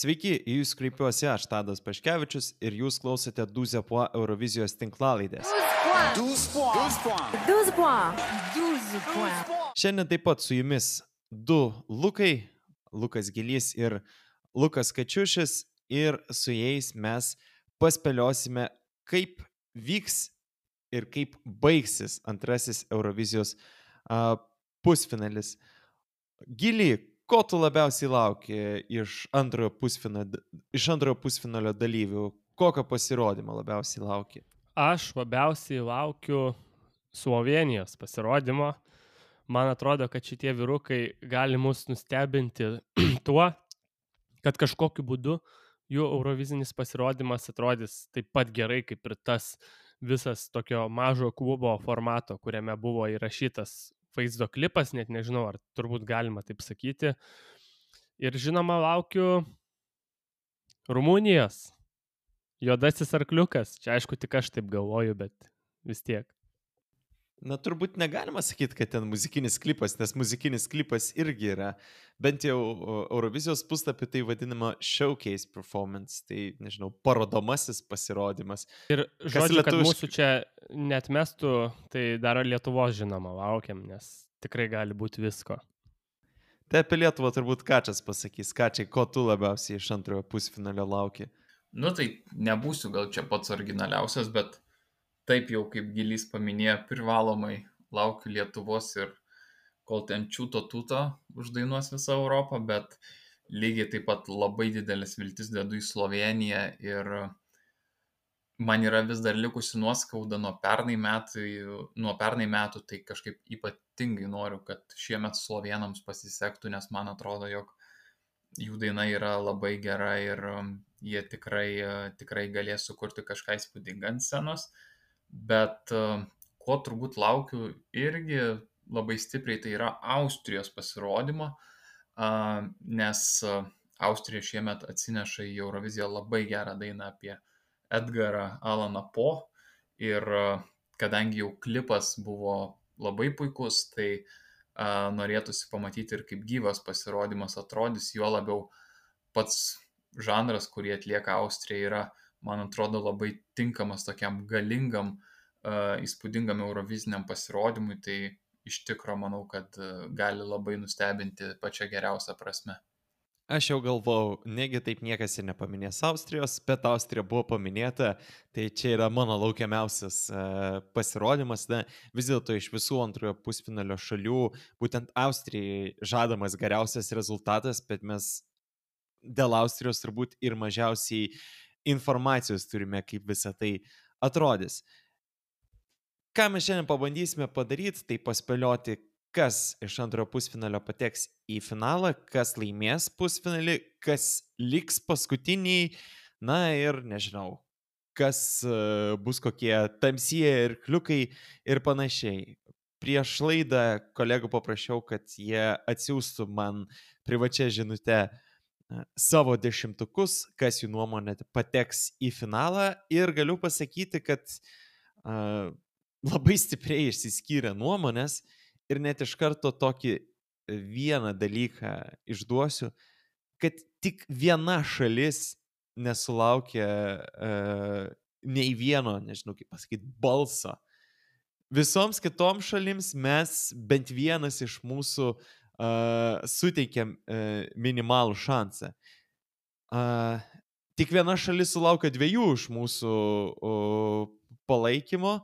Sveiki, į jūs kreipiuosi aš, Tadas Paškevičius, ir jūs klausote 12 po Eurovizijos tinklalaidės. 12 points. 12 points. 12 points. Šiandien taip pat su jumis du Lukai, Lukas Gilys ir Lukas Kačiušis, ir su jais mes paspėliosime, kaip vyks ir kaip baigsis antrasis Eurovizijos pusfinalis. Gily, ko tu labiausiai lauki iš antrojo pusfinalio dalyvių? Kokio pasirodymo labiausiai lauki? Aš labiausiai laukiu Slovenijos pasirodymo. Man atrodo, kad šitie vyrukai gali mus nustebinti tuo, kad kažkokiu būdu jų eurovizinis pasirodymas atrodys taip pat gerai, kaip ir tas visas tokio mažo klubo formato, kuriame buvo įrašytas vaizdo klipas, net nežinau, ar turbūt galima taip sakyti. Ir žinoma, laukiu Rumunijos. Juodasis arkliukas. Čia aišku, tik aš taip galvoju, bet vis tiek. Na, turbūt negalima sakyti, kad ten muzikinis klipas, nes muzikinis klipas irgi yra, bent jau Eurovizijos puslapį tai vadinama showcase performance, tai, nežinau, parodomasis pasirodymas. Ir žodžiu, kad mūsų čia net mestų, tai dar Lietuvos žinoma laukiam, nes tikrai gali būti visko. Tai apie Lietuvą turbūt Kačias pasakys. Kačiai, ko tu labiausiai iš antrojo pusfinalio lauki? Nu tai nebūsiu gal čia pats originaliausias, bet taip jau kaip Gilys paminėjo, privalomai laukiu Lietuvos ir kol ten čiūto tūto uždainuos visą Europą, bet lygiai taip pat labai didelis viltis dedu į Sloveniją ir man yra vis dar likusi nuoskauda nuo pernai metų, tai kažkaip ypatingai noriu, kad šiemet slovenams pasisektų, nes man atrodo, jog jų daina yra labai gera ir jie tikrai galės sukurti kažką įspūdingą ant scenos. Bet ko turbūt laukiu irgi labai stipriai, tai yra Austrijos pasirodymo, nes Austrija šiemet atsineša į Euroviziją labai gerą dainą apie Edgarą Allaną Poe ir kadangi jau klipas buvo labai puikus, tai norėtųsi pamatyti ir kaip gyvas pasirodymas atrodys, juo labiau pats žanras, kurį atlieka Austrija, yra, man atrodo, labai tinkamas tokiam galingam, įspūdingam euroviziniam pasirodymui, tai iš tikro manau, kad gali labai nustebinti pačią geriausią prasme. Aš jau galvau, negi taip niekas ir nepaminės Austrijos, bet Austrija buvo paminėta, tai čia yra mano laukiamiausias pasirodymas. Na, vis dėlto iš visų antrojo pusfinalio šalių, būtent Austrijai žadamas geriausias rezultatas, bet mes dėl Austrijos turbūt ir mažiausiai informacijos turime, kaip visa tai atrodys. Ką mes šiandien pabandysime padaryti, tai paspėlioti, kas iš antrojo pusfinalio pateks į finalą, kas laimės pusfinalį, kas liks paskutiniai, na ir nežinau, kas bus kokie tamsieji ir kliukai ir panašiai. Prieš laidą kolegų paprašiau, kad jie atsiųstų man privačią žinutę savo dešimtukus, kas jų nuomonė pateks į finalą, ir galiu pasakyti, kad labai stipriai išsiskyrė nuomonės. Ir net iš karto tokį vieną dalyką išduosiu, kad tik viena šalis nesulaukė nei vieno, nežinau kaip pasakyti, balso. Visoms kitoms šalims mes bent vienas iš mūsų suteikėm minimalų šansą. Tik viena šalis sulaukė 2 iš mūsų palaikymo.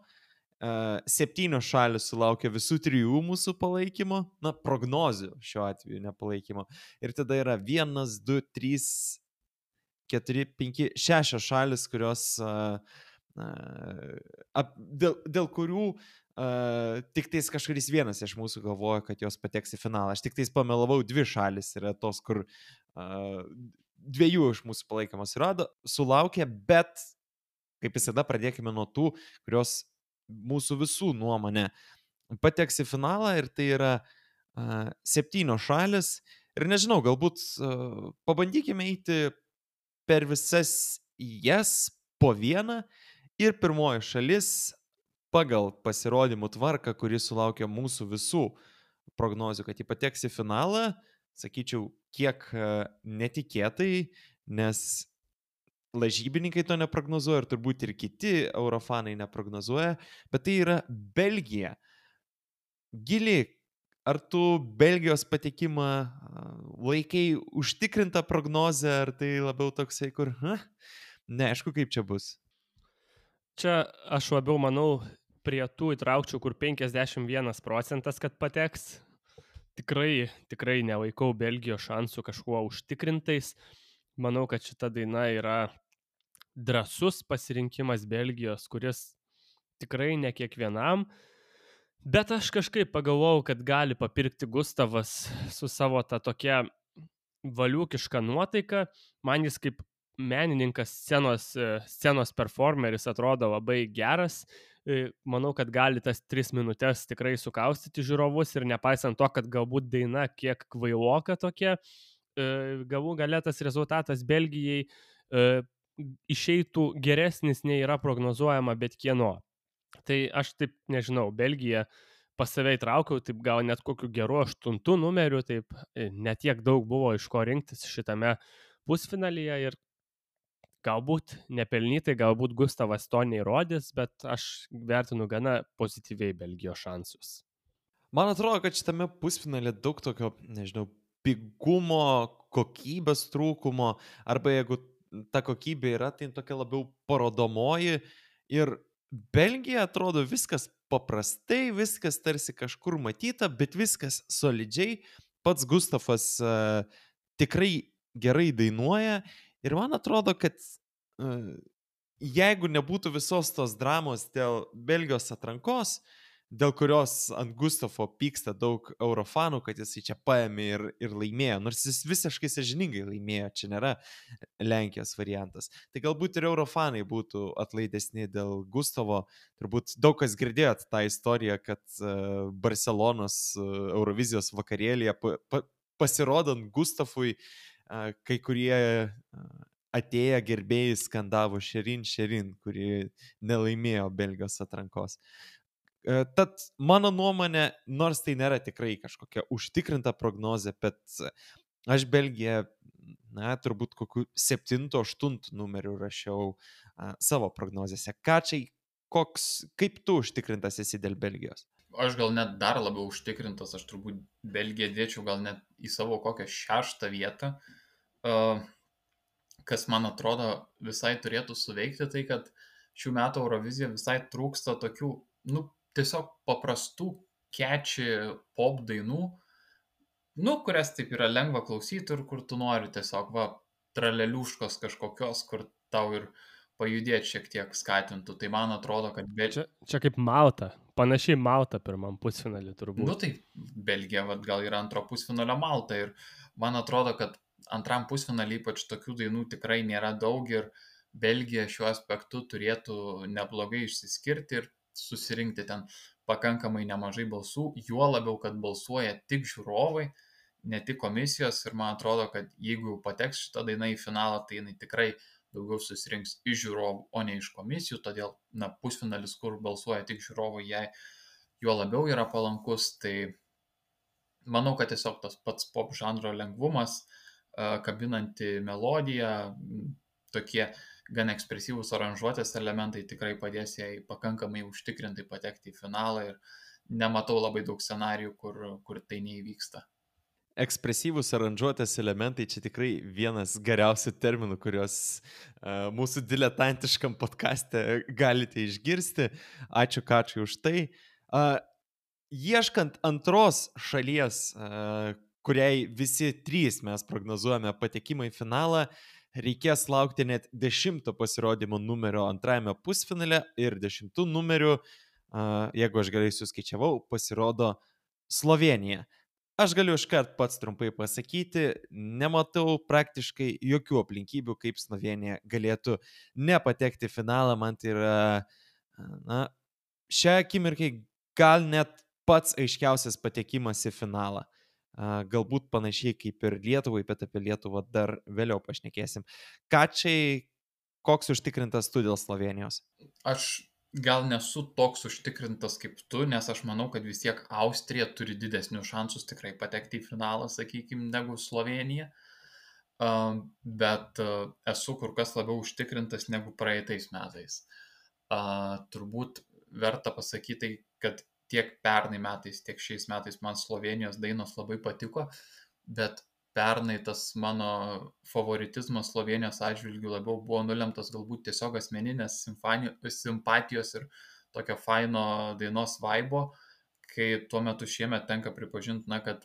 7 šalis sulaukė visų 3 mūsų palaikymo, na, prognozių šiuo atveju nepalaikymo. Ir tada yra 1, 2, 3, 4, 5, 6 šalis, kurios dėl kurių tik tais kažkuris vienas iš mūsų galvoja, kad jos pateks į finalą. Aš tik tais pamelavau, 2 šalis yra tos, kur 2 iš mūsų palaikymas sulaukė, bet kaip visada pradėkime nuo tų, kurios mūsų visų nuomonė pateks į finalą, ir tai yra 7 šalis. Ir nežinau, galbūt pabandykime eiti per visas jas po vieną, ir pirmoji šalis pagal pasirodymų tvarką, kuri sulaukė mūsų visų prognozių, kad ji pateks į finalą, sakyčiau, kiek netikėtai, nes lažybininkai to neprognozuoja ir turbūt ir kiti eurofanai neprognozuoja, bet tai yra Belgija. Gili, ar tu Belgijos patekimą laikai užtikrintą prognozę, ar tai labiau toksai, kur, neaišku, kaip čia bus? Čia aš labiau manau prie tų įtraukčiau, kur 51%, kad pateks. Tikrai nelaikau Belgijos šansų kažkuo užtikrintais. Manau, kad šita daina yra drąsus pasirinkimas Belgijos, kuris tikrai ne kiekvienam. Bet aš kažkaip pagalvojau, kad gali papirkti Gustavas su savo ta tokia valiukiška nuotaika. Man jis kaip menininkas, scenos performeris atrodo labai geras. Manau, kad gali tas 3 minutės tikrai sukaustyti žiūrovus ir nepaisant to, kad galbūt daina kiek kvailoka tokia, galų gale tas rezultatas Belgijai išeitų geresnis nei yra prognozuojama bet kieno. Tai aš taip nežinau, Belgiją pas save įtraukiau, taip gal net kokiu geru 8 numeriu, taip netiek daug buvo iš ko rinktis šitame pusfinalyje ir galbūt nepelnytai, galbūt Gustavas to neįrodys, bet aš vertinu gana pozityviai Belgijos šansus. Man atrodo, kad šitame pusfinalė daug tokio, nežinau, pigumo, kokybės trūkumo, arba jeigu ta kokybė yra, tai tokia labiau parodomoji ir Belgija atrodo viskas paprastai, viskas tarsi kažkur matyta, bet viskas solidžiai. Pats Gustavas tikrai gerai dainuoja ir man atrodo, kad jeigu nebūtų visos tos dramos dėl Belgijos atrankos, dėl kurios ant Gustavo pyksta daug eurofanų, kad jisai čia paėmė ir laimėjo, nors jis visiškai sąžiningai laimėjo, čia nėra Lenkijos variantas. Tai galbūt ir eurofanai būtų atlaidesni dėl Gustavo. Turbūt daug kas girdėjot tą istoriją, kad Barcelonos Eurovizijos vakarėlėje pasirodant Gustavui, kai kurie atėję gerbėjai skandavo Šerin, kuri nelaimėjo Belgijos atrankos. Tad mano nuomonė, nors tai nėra tikrai kažkokia užtikrinta prognozė, bet aš Belgiją, turbūt kokiu 7-8 numeriu rašiau savo prognozėse. Kaip tu užtikrintas esi dėl Belgijos? Aš gal net dar labiau užtikrintas, aš turbūt Belgiją dėčiau gal net į savo kokią 6 vietą. Kas man atrodo visai turėtų suveikti, tai kad šių metų Eurovizija visai trūksta tokių, tiesiog paprastų catchy pop dainų, kurias taip yra lengva klausyti ir kur tu nori tiesiog, traleliuškos kažkokios, kur tau ir pajudėti šiek tiek skatintų. Tai man atrodo, kad Čia kaip Malta, panašiai Malta pirmam pusfinalį turbūt. Tai Belgija gal yra antro pusfinalio Malta ir man atrodo, kad antram pusfinalį ypač tokių dainų tikrai nėra daug ir Belgija šiuo aspektu turėtų neblogai išsiskirti ir susirinkti ten pakankamai nemažai balsų, juo labiau, kad balsuoja tik žiūrovai, ne tik komisijos ir man atrodo, kad jeigu pateks šitą dainą į finalą, tai jinai tikrai daugiau susirinks iš žiūrovų, o ne iš komisijų, todėl pusfinalis, kur balsuoja tik žiūrovai, jai juo labiau yra palankus, tai manau, kad tiesiog tas pats pop žanro lengvumas, kabinanti melodija, tokie gan ekspresyvūs aranžuotės elementai tikrai padės jai pakankamai užtikrintai patekti į finalą ir nematau labai daug scenarijų, kur tai neįvyksta. Ekspresyvūs aranžuotės elementai čia tikrai vienas geriausių terminų, kuriuos mūsų diletantiškam podcaste galite išgirsti. Ačiū Kačiui už tai. Ieškant antros šalies, kuriai visi 3 mes prognozuojame patekimą į finalą, reikės laukti net 10 pasirodymo numerio antrajame pusfinale ir 10 numeriu, jeigu aš gerai suskaičiavau, pasirodo Slovėnija. Aš galiu iškart pats trumpai pasakyti, nematau praktiškai jokių aplinkybių, kaip Slovėnija galėtų nepatekti į finalą. Man tai yra, šią akimirkai gal net pats aiškiausias patekimas į finalą. Galbūt panašiai kaip ir Lietuvai, bet apie Lietuvą dar vėliau pašnekėsim. Kačiai, koks užtikrintas tu dėl Slovėnijos? Aš gal nesu toks užtikrintas kaip tu, nes aš manau, kad vis tiek Austrija turi didesnius šansus tikrai patekti į finalą, sakykime, negu Slovėnija. bet esu kur kas labiau užtikrintas negu praeitais metais. Turbūt verta pasakyti, kad tiek pernai metais, tiek šiais metais man Slovenijos dainos labai patiko, bet pernai tas mano favoritizmas Slovenijos atžvilgių labiau buvo nulemtas galbūt tiesiog asmeninės simpatijos ir tokio faino dainos vaibo, kai tuo metu šiemet tenka pripažinti, kad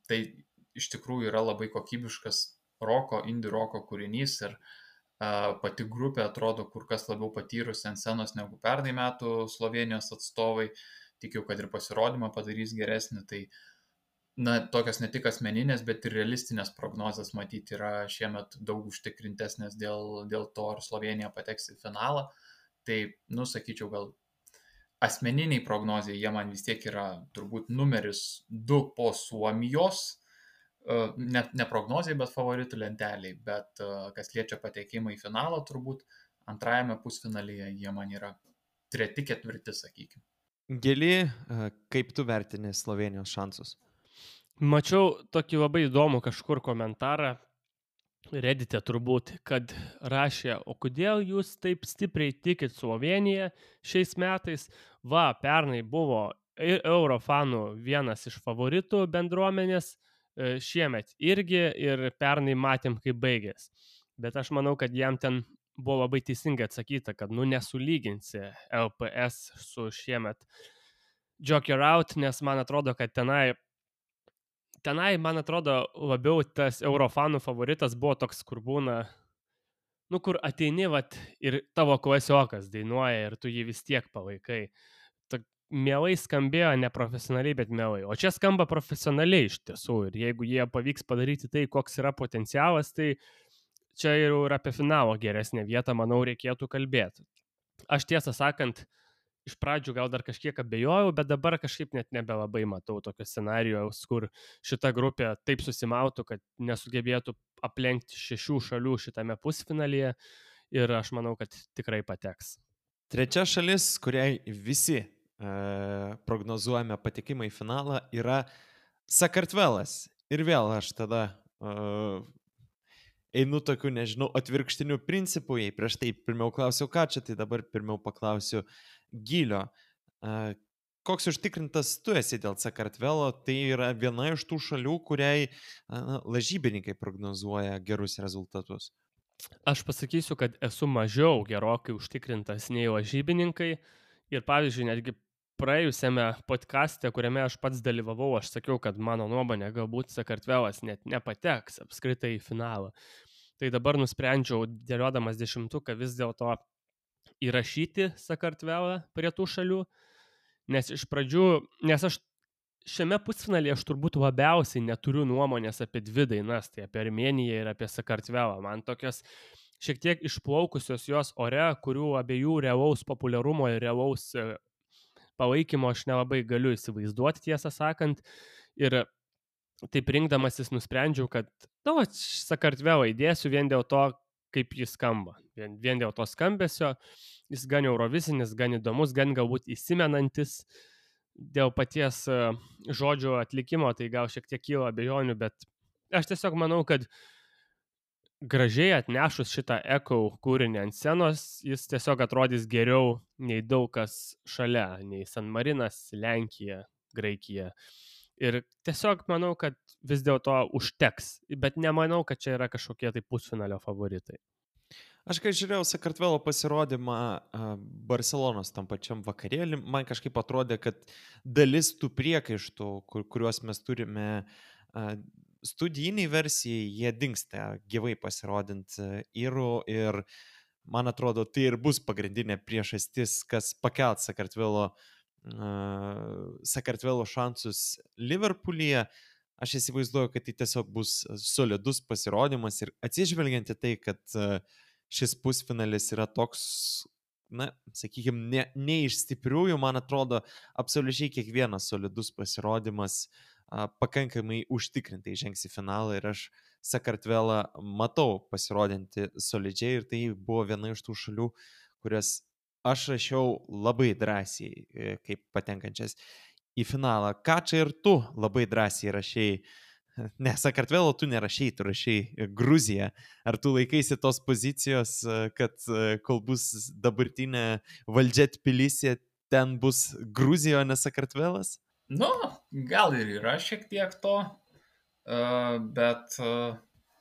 tai iš tikrųjų yra labai kokybiškas indie roko kūrinys ir pati grupė atrodo kur kas labiau patyrusi ant scenos negu pernai metų Slovenijos atstovai. Tikiu, kad ir pasirodymą padarys geresnį. Tai tokios ne tik asmeninės, bet ir realistinės prognozės matyti yra šiemet daug užtikrintesnės dėl to, ar Slovenija pateks į finalą. Tai, sakyčiau, gal asmeniniai prognozijai jie man vis tiek yra turbūt numeris 2 po Suomijos. Ne prognozijai, bet favoritų lenteliai. Bet kas liečia patekimą į finalą, turbūt antrajame pusfinalyje jie man yra 3-4, sakykime. Gili, kaip tu vertini Slovenijos šansus? Mačiau tokį labai įdomų kažkur komentarą, Reddit'e turbūt, kad rašė, o kodėl jūs taip stipriai tikit Sloveniją šiais metais? Pernai buvo Eurofanų vienas iš favoritų bendruomenės, šiemet irgi ir pernai matėm, kaip baigės. Bet aš manau, kad jam ten buvo labai teisingai atsakyta, kad nesulyginsi LPS su šiemet Joker Out, nes man atrodo, kad tenai, man atrodo, labiau tas Eurofanų favoritas buvo toks, kur būna, kur ateini ir tavo klasiokas dainuoja ir tu jį vis tiek palaikai. Mielai skambėjo neprofesionaliai, bet mielai. O čia skamba profesionaliai iš tiesų. Ir jeigu jie pavyks padaryti tai, koks yra potencialas, tai čia jau ir apie finalo geresnę vietą, manau, reikėtų kalbėti. Aš tiesą sakant, iš pradžių gal dar kažkiek abejojau, bet dabar kažkaip net nebelabai matau tokio scenarijaus, kur šita grupė taip susimautų, kad nesugebėtų aplenkti 6 šalių šitame pusfinalyje. Ir aš manau, kad tikrai pateks. Trečia šalis, kuriai visi prognozuojame patekimą į finalą, yra Sakartvelas. Ir vėl aš tada einu tokiu, nežinau, atvirkštiniu principu. Jei prieš tai pirmiau klausiau, ką čia, tai dabar pirmiau paklausiu Gilio. Koks užtikrintas tu esi dėl Sakartvelo? Tai yra viena iš tų šalių, kuriai lažybininkai prognozuoja gerus rezultatus. Aš pasakysiu, kad esu mažiau gerokai užtikrintas nei lažybininkai. Ir pavyzdžiui, netgi praėjusiame podcaste, kuriame aš pats dalyvavau, aš sakiau, kad mano nuomonė galbūt Sakartvelas net nepateks apskritai į finalą. Tai dabar nusprendžiau, dėliodamas 10-uką, vis dėlto įrašyti Sakartvelą prie tų šalių, nes iš pradžių, nes aš šiame pusfinalyje aš turbūt labiausiai neturiu nuomonės apie 2 dainas, tai apie Armėniją ir apie Sakartvelą. Man tokios šiek tiek išplaukusios jos ore, kurių abiejų realaus populiarumo ir realaus palaikymo aš nelabai galiu įsivaizduoti, tiesą sakant. Ir taip rinkdamasis nusprendžiau, kad Sakartvelą įdėsiu vien dėl to, kaip jis skamba. Vien dėl to skambesio. Jis gan eurovisinis, gan įdomus, gan galbūt įsimenantis. Dėl paties žodžio atlikimo tai gal šiek tiek kyla abejonių, bet aš tiesiog manau, kad gražiai atnešus šitą Echo kūrinį ant scenos, jis tiesiog atrodys geriau nei daug kas šalia, nei San Marinas, Lenkija, Graikija. Ir tiesiog manau, kad vis dėlto užteks, bet nemanau, kad čia yra kažkokie tai pusfinalio favoritai. Aš kai žiūrėjau Sakartvelo pasirodymą Barcelonos tam pačiam vakarėlį, man kažkaip atrodė, kad dalis tų priekaištų, kuriuos mes turime studijiniai versijai, jie dingsta gyvai pasirodint įrų ir man atrodo, tai ir bus pagrindinė priežastis, kas pakelt Sakartvelo šansus Liverpoolyje. Aš įsivaizduoju, kad tai tiesiog bus solidus pasirodymas ir atsižvelgiant į tai, kad šis pusfinalis yra toks, sakykime, ne iš stipriųjų, man atrodo, absoliučiai kiekvienas solidus pasirodymas pakankamai užtikrintai žengs į finalą ir aš Sakartvelą matau pasirodinti solidžiai ir tai buvo viena iš tų šalių, kurias aš rašiau labai drąsiai kaip patenkančias į finalą. Ką čia ir tu labai drąsiai rašiai Ne, Sakartvelo tu nerašai, tu rašai Gruziją. Ar tu laikaisi tos pozicijos, kad kol bus dabartinė valdžia Tbilisija, ten bus Gruzija, o ne Sakartvelas? Nu, gal ir yra šiek tiek to, bet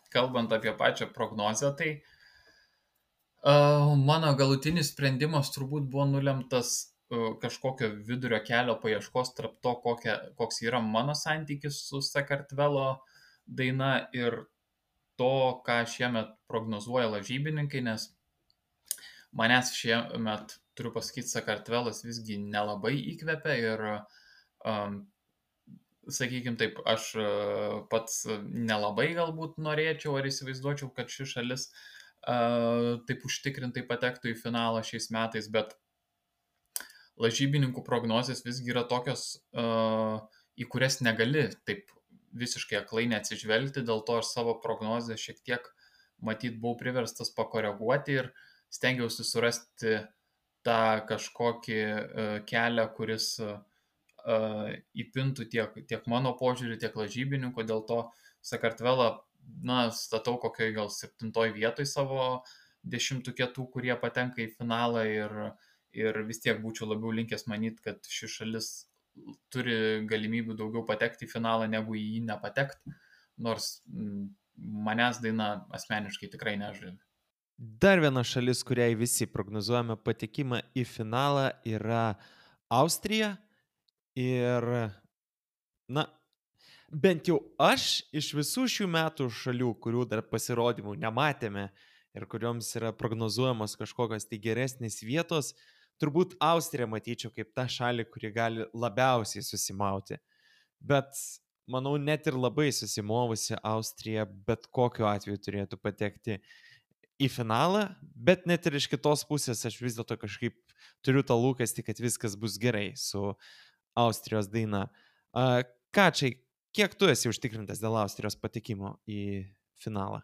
kalbant apie pačią prognozę, tai mano galutinis sprendimas turbūt buvo nulemtas kažkokio vidurio kelio paieškos tarp to, koks yra mano santykis su Sakartvelo daina ir to, ką šiemet prognozuoja lažybininkai, nes manęs šiemet, turiu pasakyti, Sakartvelas visgi nelabai įkvepia ir, sakykime taip, aš pats nelabai galbūt norėčiau ar įsivaizduočiau, kad ši šalis taip užtikrintai patektų į finalą šiais metais, bet lažybininkų prognozės visgi yra tokios, į kurias negali taip visiškai aklai neatsižvelgti, dėl to aš savo prognozę šiek tiek matyt buvau priverstas pakoreguoti ir stengiausi surasti tą kažkokį kelią, kuris įpintų tiek mano požiūrį, tiek lažybininkų, dėl to Sakartvelą, statau kokioje gal 7 vietoj savo 10 tų, kurie patenka į finalą ir vis tiek būčiau labiau linkęs manyti, kad ši šalis turi galimybių daugiau patekti į finalą, negu į jį nepatekti, nors manęs daina asmeniškai tikrai nežavi. Dar viena šalis, kuriai visi prognozuojame patekimą į finalą, yra Austrija. Ir, bent jau aš iš visų šių metų šalių, kurių dar pasirodymų nematėme ir kurioms yra prognozuojamos kažkokios tai geresnės vietos, turbūt Austriją matyčiau kaip tą šalį, kuri gali labiausiai susimauti. Bet, manau, net ir labai susimovusi Austrija bet kokiu atveju turėtų patekti į finalą, bet net ir iš kitos pusės aš vis dėlto kažkaip turiu tą lūkestį, kad viskas bus gerai su Austrijos daina. Kačiai, kiek tu esi užtikrintas dėl Austrijos patekimo į finalą?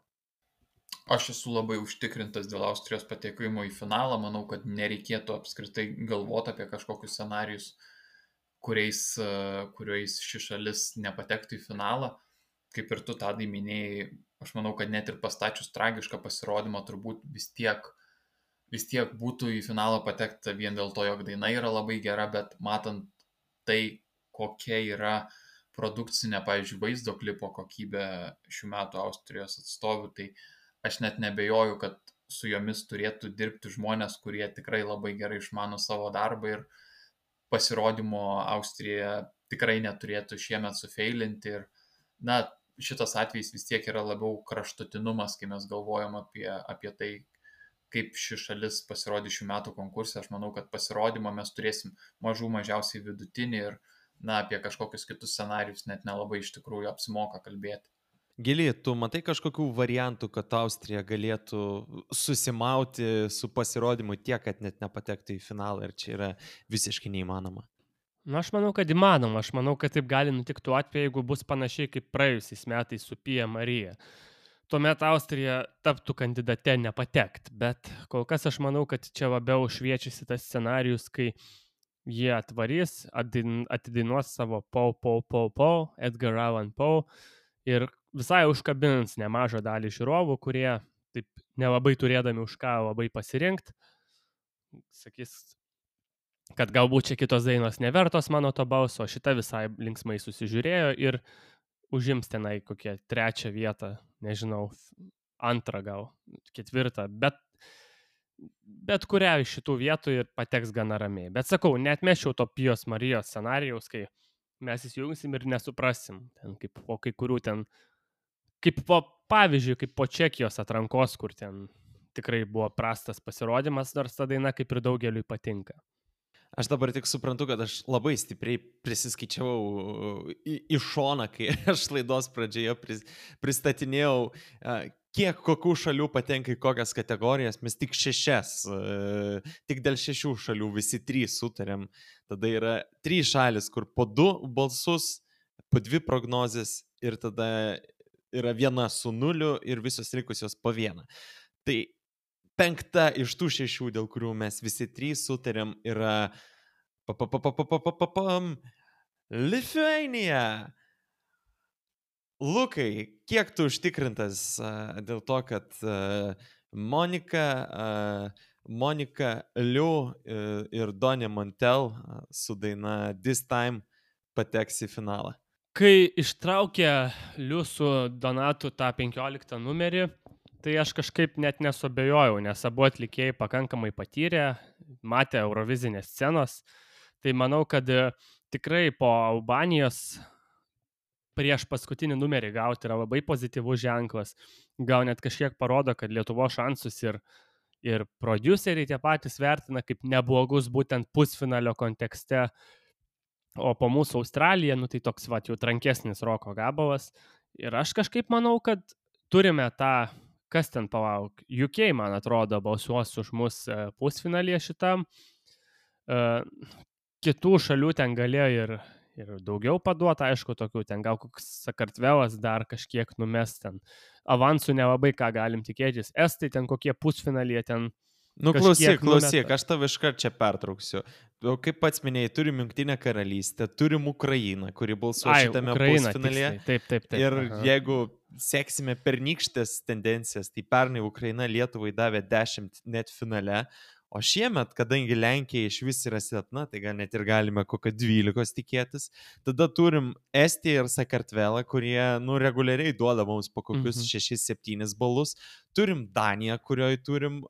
Aš esu labai užtikrintas dėl Austrijos patekimo į finalą. Manau, kad nereikėtų apskritai galvoti apie kažkokius scenarius, kuriais ši šalis nepatektų į finalą. Kaip ir tu Tadai minėjai, aš manau, kad net ir pastačius tragišką pasirodymą turbūt vis tiek būtų į finalą patekta vien dėl to, jog daina yra labai gera, bet matant tai, kokia yra produkcinė, pavyzdžiui, vaizdo klipo kokybė šių metų Austrijos atstovių, tai aš net nebejoju, kad su jomis turėtų dirbti žmonės, kurie tikrai labai gerai išmano savo darbą ir pasirodymo Austrija tikrai neturėtų šiemet sufeilinti. Ir, šitas atvejis vis tiek yra labiau kraštutinumas, kai mes galvojam apie tai, kaip ši šalis pasirodė šių metų konkurse. Aš manau, kad pasirodymą mes turėsim mažiausiai vidutinį ir, apie kažkokius kitus scenarius net nelabai iš tikrųjų apsimoka kalbėti. Gili, tu matai kažkokių variantų, kad Austrija galėtų susimauti su pasirodymu tiek, kad net nepatektų į finalą, ir čia yra visiškai neįmanoma? Aš manau, kad įmanoma. Aš manau, kad taip gali nutikti tuo atveju, jeigu bus panašiai kaip praėjusiais metais su Pia Marija. Tuomet Austrija taptų kandidate nepatekt, bet kol kas aš manau, kad čia labiau šviečiasi tas scenarius, kai jie atvarys, atidainuos savo Pow, Edgar Allan Poe ir visai užkabins nemažą dalį žiūrovų, kurie taip nelabai turėdami už ką labai pasirinkti, sakys, kad galbūt čia kitos dainos nevertos mano to balso, šita visai linksmai susižiūrėjo ir užims tenai kokią 3 vietą, nežinau, 2 gal, 4, bet kurią iš šitų vietų ir pateks gana ramiai. Bet sakau, neatmečiau to Pijos Marijos scenarijaus, kai mes įsijungsim ir nesuprasim, ten kaip po kai kurių ten, kaip po pavyzdžiui, kaip po Čekijos atrankos, kur ten tikrai buvo prastas pasirodymas, nors ta daina kaip ir daugeliui patinka. Aš dabar tik suprantu, kad aš labai stipriai prisiskaičiavau į šoną, kai aš laidos pradžioje pristatinėjau, kiek kokių šalių patenka į kokias kategorijas. Mes tik 6, tik dėl 6 šalių visi 3 sutarėm. Tada yra 3 šalis, kur po 2 balsus, po 2 prognozės ir tada yra 1 su 0 ir visos likusios po 1. Tai 5 iš tų 6, dėl kurių mes visi 3 sutarėm, yra Lithuania. Lukai, kiek tu užtikrintas dėl to, kad Monika, Monika Liu ir Donė Montel su daina This Time pateks į finalą? Kai ištraukė Liu su Donatu tą 15 numerį, tai aš kažkaip net nesuabejojau, nes abu atlikėjai pakankamai patyrė, matė Eurovizinės scenos. Tai manau, kad tikrai po Albanijos prieš paskutinį numerį gauti yra labai pozityvus ženklas. Gal net kažkiek parodo, kad Lietuvos šansus ir prodiuseriai tie patys vertina kaip neblogus būtent pusfinalio kontekste. O po mūsų Australija, tai toks jau trankesnis roko gabalas. Ir aš kažkaip manau, kad turime tą, kas ten palauk, UK, man atrodo, balsuos už mus pusfinalyje šitam. Kitų šalių ten galėjo ir daugiau paduoti, aišku, tokių ten gal koks Sakartvelas dar kažkiek numes ten. Avansų nelabai ką galim tikėtis. Estai ten kokie pusfinalyje ten. Klausyk, aš tave iškart čia pertrauksiu. Kaip pats minėjai, turim Jungtinę karalystę, turim Ukrainą, kuri balsuoja šitame pusfinalyje. Taip. Ir jeigu seksime pernykštės tendencijas, tai pernai Ukraina Lietuvai davė 10 net finale, o šiemet, kadangi Lenkija iš vis yra silpna, tai gal net ir galime kokio 12 tikėtis, tada turim Estiją ir Sakartvelą, kurie reguliariai duoda mums po kokius 6-7 balus. Turim Daniją, kurioje turim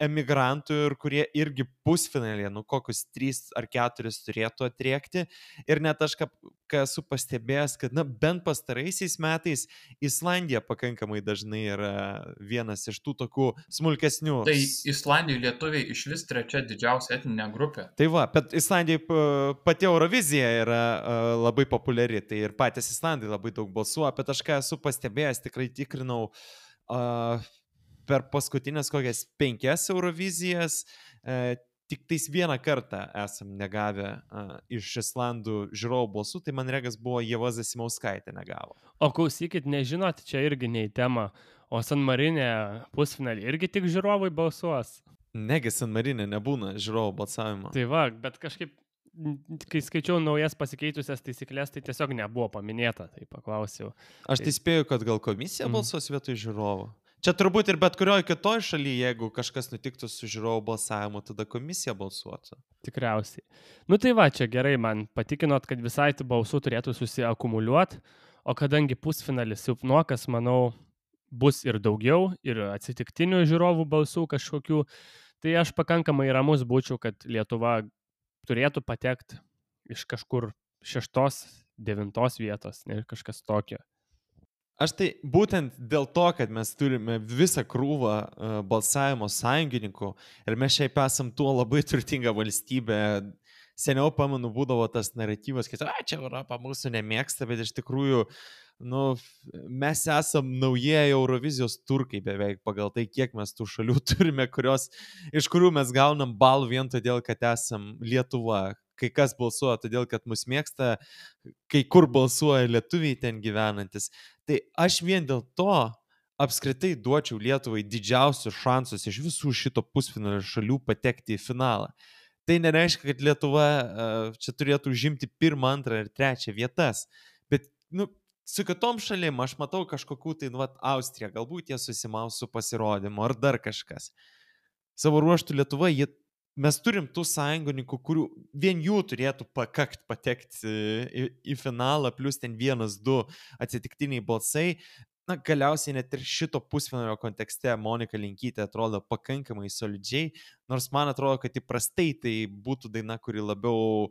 emigrantų ir kurie irgi pusfinalėje, kokius 3 ar 4 turėtų atriekti. Ir net aš esu pastebėjęs, kad bent pastaraisiais metais Islandija pakankamai dažnai yra vienas iš tų tokių smulkesnių. Tai Islandijai lietuviai iš vis 3 didžiausia etninė grupė. Tai va, bet Islandijai pati Eurovizija yra labai populiari, tai ir patys Islandai labai daug balsuoja, bet aš esu pastebėjęs, tikrai tikrinau per paskutinės kokias 5 Eurovizijas, tik tais vieną kartą esam negavę iš Islandų žiūrovų balsų, tai man regas buvo Ieva Zasimauskaitė negavo. O klausykit, nežinot, čia irgi ne į temą, o San Marinė pusfinalį irgi tik žiūrovai balsuos. Negi San Marinė nebūna žiūrovų balsavimo. Tai va, bet kažkaip, kai skaičiau naujas pasikeitusias taisyklės, tai tiesiog nebuvo paminėta, tai paklausiau. Aš tai spėju, kad gal komisija balsuos vietoj žiūrovų. Čia turbūt ir bet kurioje kitoje šalyje, jeigu kažkas nutiktų su žiūrovų balsavimu, tada komisija balsuotų. Tikriausiai. Tai va, čia gerai, man patikinot, kad visai tų balsų turėtų susiakumuliuoti, o kadangi pusfinalis silpnokas, manau, bus ir daugiau, ir atsitiktinių žiūrovų balsų kažkokių, tai aš pakankamai ramus būčiau, kad Lietuva turėtų patekti iš kažkur 6-9 vietos, ne kažkas tokio. Aš tai būtent dėl to, kad mes turime visą krūvą balsavimo sąjungininkų ir mes šiaip esam tuo labai turtinga valstybė. Seniau, pamenu, būdavo tas naratyvas, kad čia Europa mūsų nemėgsta, bet iš tikrųjų mes esam naujieji Eurovizijos turkai beveik pagal tai, kiek mes tų šalių turime, iš kurių mes gaunam balų vien todėl, kad esam Lietuva. Kai kas balsuoja todėl, kad mus mėgsta, kai kur balsuoja lietuviai ten gyvenantis. Tai aš vien dėl to apskritai duočiau Lietuvai didžiausius šansus iš visų šito pusfinalio šalių patekti į finalą. Tai nereiškia, kad Lietuva čia turėtų užimti 1, 2 ir 3 vietas. Bet su kitom šalim aš matau kažkokių tai, Austrija, galbūt jie susimaus su pasirodymu ar dar kažkas. Savo ruoštų Lietuva, mes turim tų sąjungininkų, kurių vien jų turėtų pakakt patekti į finalą, plus ten 1-2 atsitiktiniai balsai. Galiausiai net ir šito pusfinalio kontekste Monika Linkytė atrodo pakankamai solidžiai, nors man atrodo, kad įprastai tai būtų daina, kuri labiau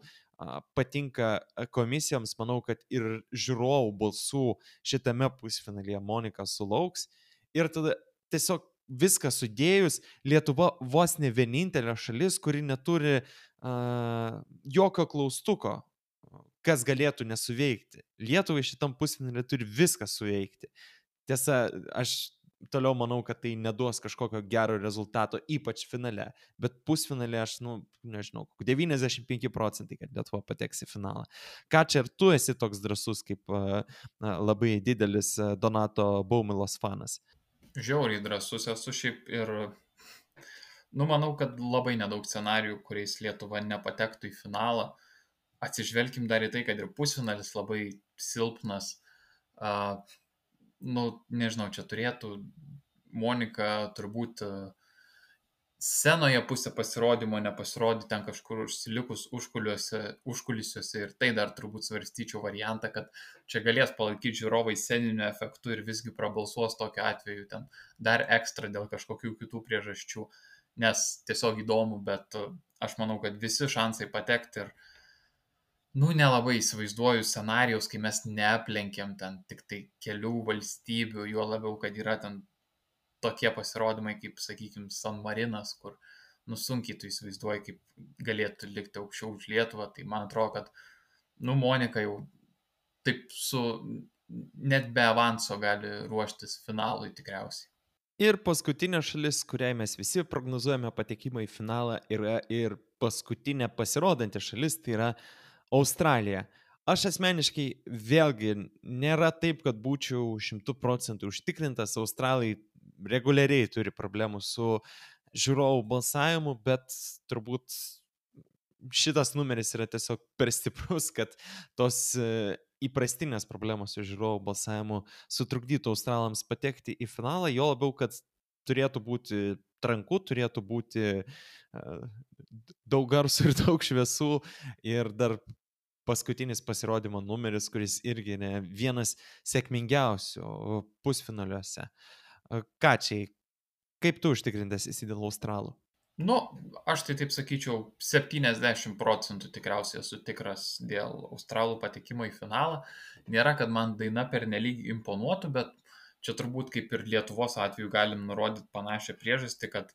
patinka komisijoms. Manau, kad ir žiūrovų balsų šitame pusfinalyje Monika sulauks. Ir tada tiesiog viską sudėjus, Lietuva vos ne vienintelė šalis, kuri neturi jokio klaustuko, kas galėtų nesuveikti. Lietuvai šitam pusfinalį turi viską suveikti. Tiesa, aš toliau manau, kad tai neduos kažkokio gero rezultato, ypač finale. Bet pusfinalį aš, nežinau, 95%, kad Lietuva pateks į finalą. Ką čia ir tu esi toks drąsus, kaip labai didelis Donato Baumilos fanas? Žiauriai drąsus esu šiaip ir, manau, kad labai nedaug scenarijų, kuriais Lietuva nepatektų į finalą. atsižvelkim dar į tai, kad ir pusfinalis labai silpnas. Nežinau, čia turėtų Monika turbūt scenoje pusę pasirodymo nepasirodyti ten kažkur užsilikus užkulisiuose ir tai dar turbūt svarstyčiau variantą, kad čia galės palaikyti žiūrovai sceniniu efektu ir visgi prabalsuos tokiu atveju ten dar ekstra dėl kažkokių kitų priežasčių, nes tiesiog įdomu, bet aš manau, kad visi šansai patekti ir nelabai įsivaizduoju scenarijaus, kai mes neaplenkiam ten tik tai kelių valstybių, juo labiau, kad yra ten tokie pasirodymai kaip, sakykime, San Marinas, kur sunkiai tu įsivaizduoji, kaip galėtų likti aukščiau už Lietuvą, tai man atrodo, kad Monika jau taip net be avanso gali ruoštis finalui tikriausiai. Ir paskutinė šalis, kuriai mes visi prognozuojame patekimą į finalą, yra ir paskutinė pasirodanti šalis, tai yra Australija. Aš asmeniškai vėlgi nėra taip, kad būčiau 100% užtikrintas. Australai reguliariai turi problemų su žiūrovų balsavimu, bet turbūt šitas numeris yra tiesiog per stiprus, kad tos įprastinės problemos su žiūrovų balsavimu sutrukdytų Australams patekti į finalą, jo labiau, kad turėtų būti tranku, turėtų būti daug garsų ir daug šviesų ir dar paskutinis pasirodymo numeris, kuris irgi vienas sėkmingiausių pusfinaliuose. Kačiai, kaip tu užtikrintas esi dėl Australų? Aš tai taip sakyčiau, 70% tikriausiai esu tikras dėl Australų patekimo į finalą. Nėra, kad man daina pernelyg imponuotų, bet čia turbūt kaip ir Lietuvos atveju galim nurodyti panašią priežastį, kad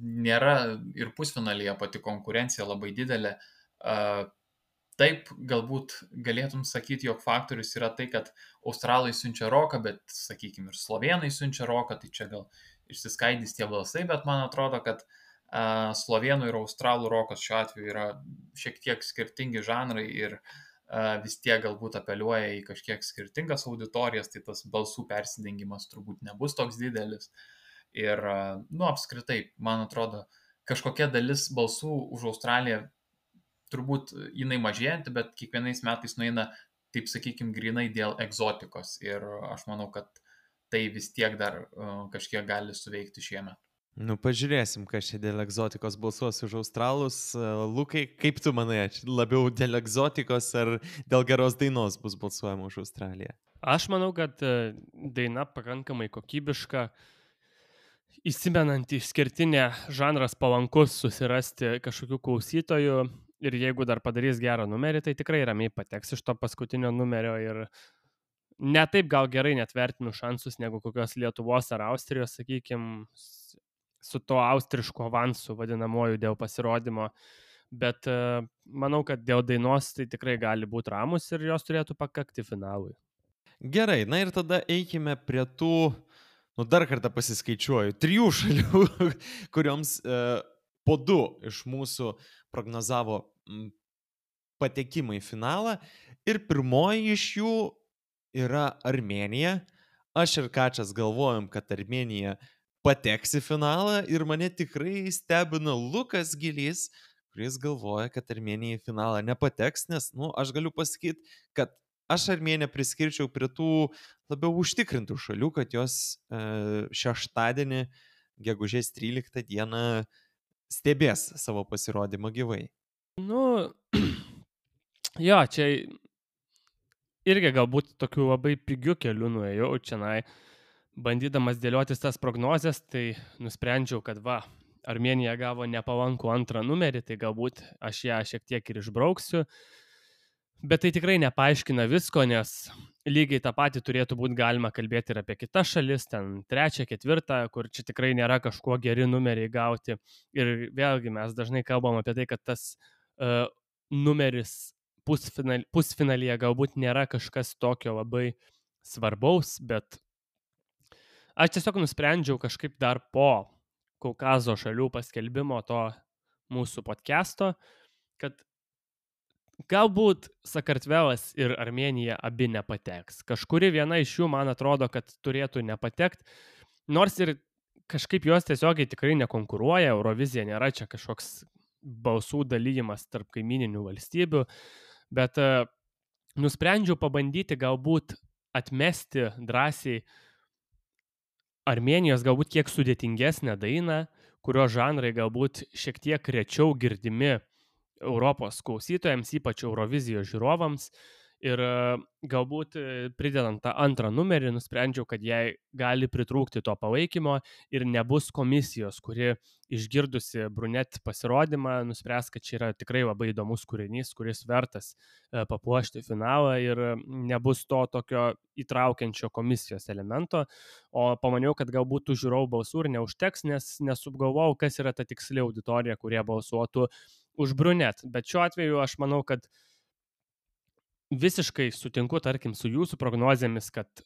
nėra ir pusfinalyje pati konkurencija labai didelė. Taip, galbūt galėtum sakyti, jog faktorius yra tai, kad Australai siunčia roką, bet, sakykime, ir slovėnai siunčia roką, tai čia gal išsiskaidys tie balsai, bet man atrodo, kad slovėnų ir australų rokas šiuo atveju yra šiek tiek skirtingi žanrai ir vis tiek galbūt apeliuoja į kažkiek skirtingas auditorijas, tai tas balsų persidengimas turbūt nebus toks didelis. Ir, apskritai, man atrodo, kažkokia dalis balsų už Australiją turbūt jinai mažėjanti, bet kiekvienais metais nueina, taip sakykime, grinai dėl egzotikos. Ir aš manau, kad tai vis tiek dar kažkiek gali suveikti šiemet. Pažiūrėsim, kas čia dėl egzotikos balsuos už Australus. Lukai, kaip tu manai, labiau dėl egzotikos ar dėl geros dainos bus balsuojama už Australiją? Aš manau, kad daina pakankamai kokybiška, įsimenanti išskirtinė, žanras palankus susirasti kažkokių klausytojų. Ir jeigu dar padarys gerą numerį, tai tikrai ramiai pateks iš to paskutinio numerio ir ne taip gal gerai net vertinu šansus negu kokios Lietuvos ar Austrijos, sakykime, su to austrišku avansu vadinamoju dėl pasirodymo. Bet manau, kad dėl dainos tai tikrai gali būti ramus ir jos turėtų pakakti finalui. Gerai, ir tada eikime prie tų, dar kartą pasiskaičiuoju, 3 šalių, kurioms po 2 iš mūsų prognozavo patekimą į finalą ir pirmoji iš jų yra Armėnija. Aš ir Kačias galvojom, kad Armėnija pateks į finalą ir mane tikrai stebino Lukas Gilys, kuris galvoja, kad Armėnija į finalą nepateks, nes, aš galiu pasakyti, kad aš Armėniją priskirčiau prie tų labiau užtikrintų šalių, kad jos šeštadienį, gegužės 13 dieną, stebės savo pasirodymą gyvai. Jo, čia irgi galbūt tokių labai pigių kelių nuėjau čianai, bandydamas dėliotis tas prognozes, tai nusprendžiau, kad Armėnija gavo nepalankų 2 numerį, tai galbūt aš ją šiek tiek ir išbrauksiu. Bet tai tikrai nepaaiškina visko, nes lygiai tą patį turėtų būti galima kalbėti ir apie kitas šalis, ten 3, 4, kur čia tikrai nėra kažkuo geri numeriai gauti. Ir vėlgi mes dažnai kalbam apie tai, kad tas numeris pusfinalyje galbūt nėra kažkas tokio labai svarbaus, bet aš tiesiog nusprendžiau kažkaip dar po Kaukazo šalių paskelbimo to mūsų podcast'o, kad galbūt Sakartvelas ir Armėnija abi nepateks. Kažkuri viena iš jų, man atrodo, kad turėtų nepatekti, nors ir kažkaip jos tiesiogiai tikrai nekonkuruoja, Eurovizija nėra čia kažkoks balsų dalyjimas tarp kaimininių valstybių, bet nusprendžiau pabandyti galbūt atmesti drąsiai Armėnijos galbūt kiek sudėtingesnę dainą, kurio žanrai galbūt šiek tiek rečiau girdimi Europos klausytojams, ypač Eurovizijos žiūrovams. Ir galbūt pridedant tą antrą numerį, nusprendžiau, kad jai gali pritrūkti to palaikymo ir nebus komisijos, kuri išgirdusi Brunet pasirodymą, nuspręs, kad čia yra tikrai labai įdomus kūrinys, kuris vertas papuošti finalą ir nebus to tokio įtraukiančio komisijos elemento. O pamaniau, kad galbūt tų žiūrovų balsų ir neužteks, nes nesupgalvojau, kas yra ta tiksli auditorija, kurie balsuotų už Brunet. Bet šiuo atveju aš manau, kad visiškai sutinku, tarkim, su jūsų prognozėmis, kad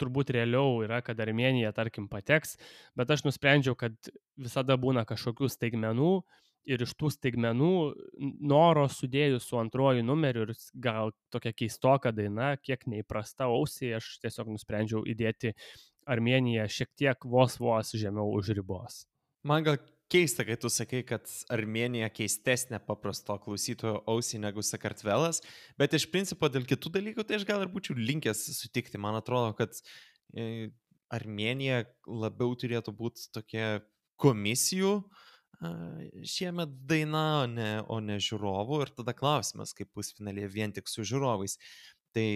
turbūt realiau yra, kad Armėnija, tarkim, pateks, bet aš nusprendžiau, kad visada būna kažkokių staigmenų ir iš tų staigmenų noro sudėjus su antruoju numeriu ir gal tokia keistoka daina, kiek neįprasta ausiai, aš tiesiog nusprendžiau įdėti Armėniją šiek tiek vos žemiau už ribos. Man gal keista, kai tu sakai, kad Armėnija keistesnė paprasto klausytojo ausiai negu Sakartvelas, bet iš principo dėl kitų dalykų tai aš gal ir būčiau linkęs sutikti. Man atrodo, kad Armėnija labiau turėtų būti tokia komisijų šiemet daina, o ne žiūrovų. Ir tada klausimas, kaip pusfinalėje vien tik su žiūrovais. Tai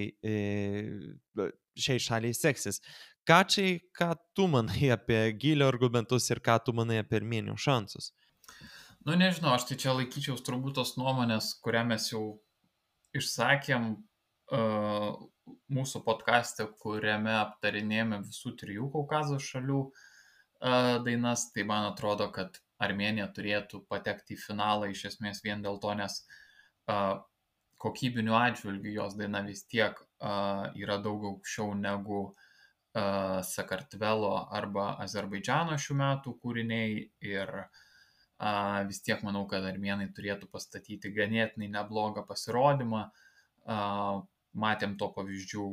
šiai šaliai seksis. Kačiai, ką tu manai apie Gylio argumentus ir ką tu manai apie Armėnijos šansus? Nu, nežinau, aš tai čia laikyčiaus turbūt tos nuomonės, kurią mes jau išsakėm mūsų podcaste, kuriame aptarinėjame visų 3 Kaukazo šalių dainas. Tai man atrodo, kad Armėnija turėtų patekti į finalą iš esmės vien dėl to, nes kokybiniu atžvilgiu jos daina vis tiek yra daug aukščiau negu Sakartvelo arba Azerbaidžano šių metų kūriniai ir vis tiek manau, kad armėnai turėtų pastatyti ganėtinai neblogą pasirodymą. Matėm to pavyzdžių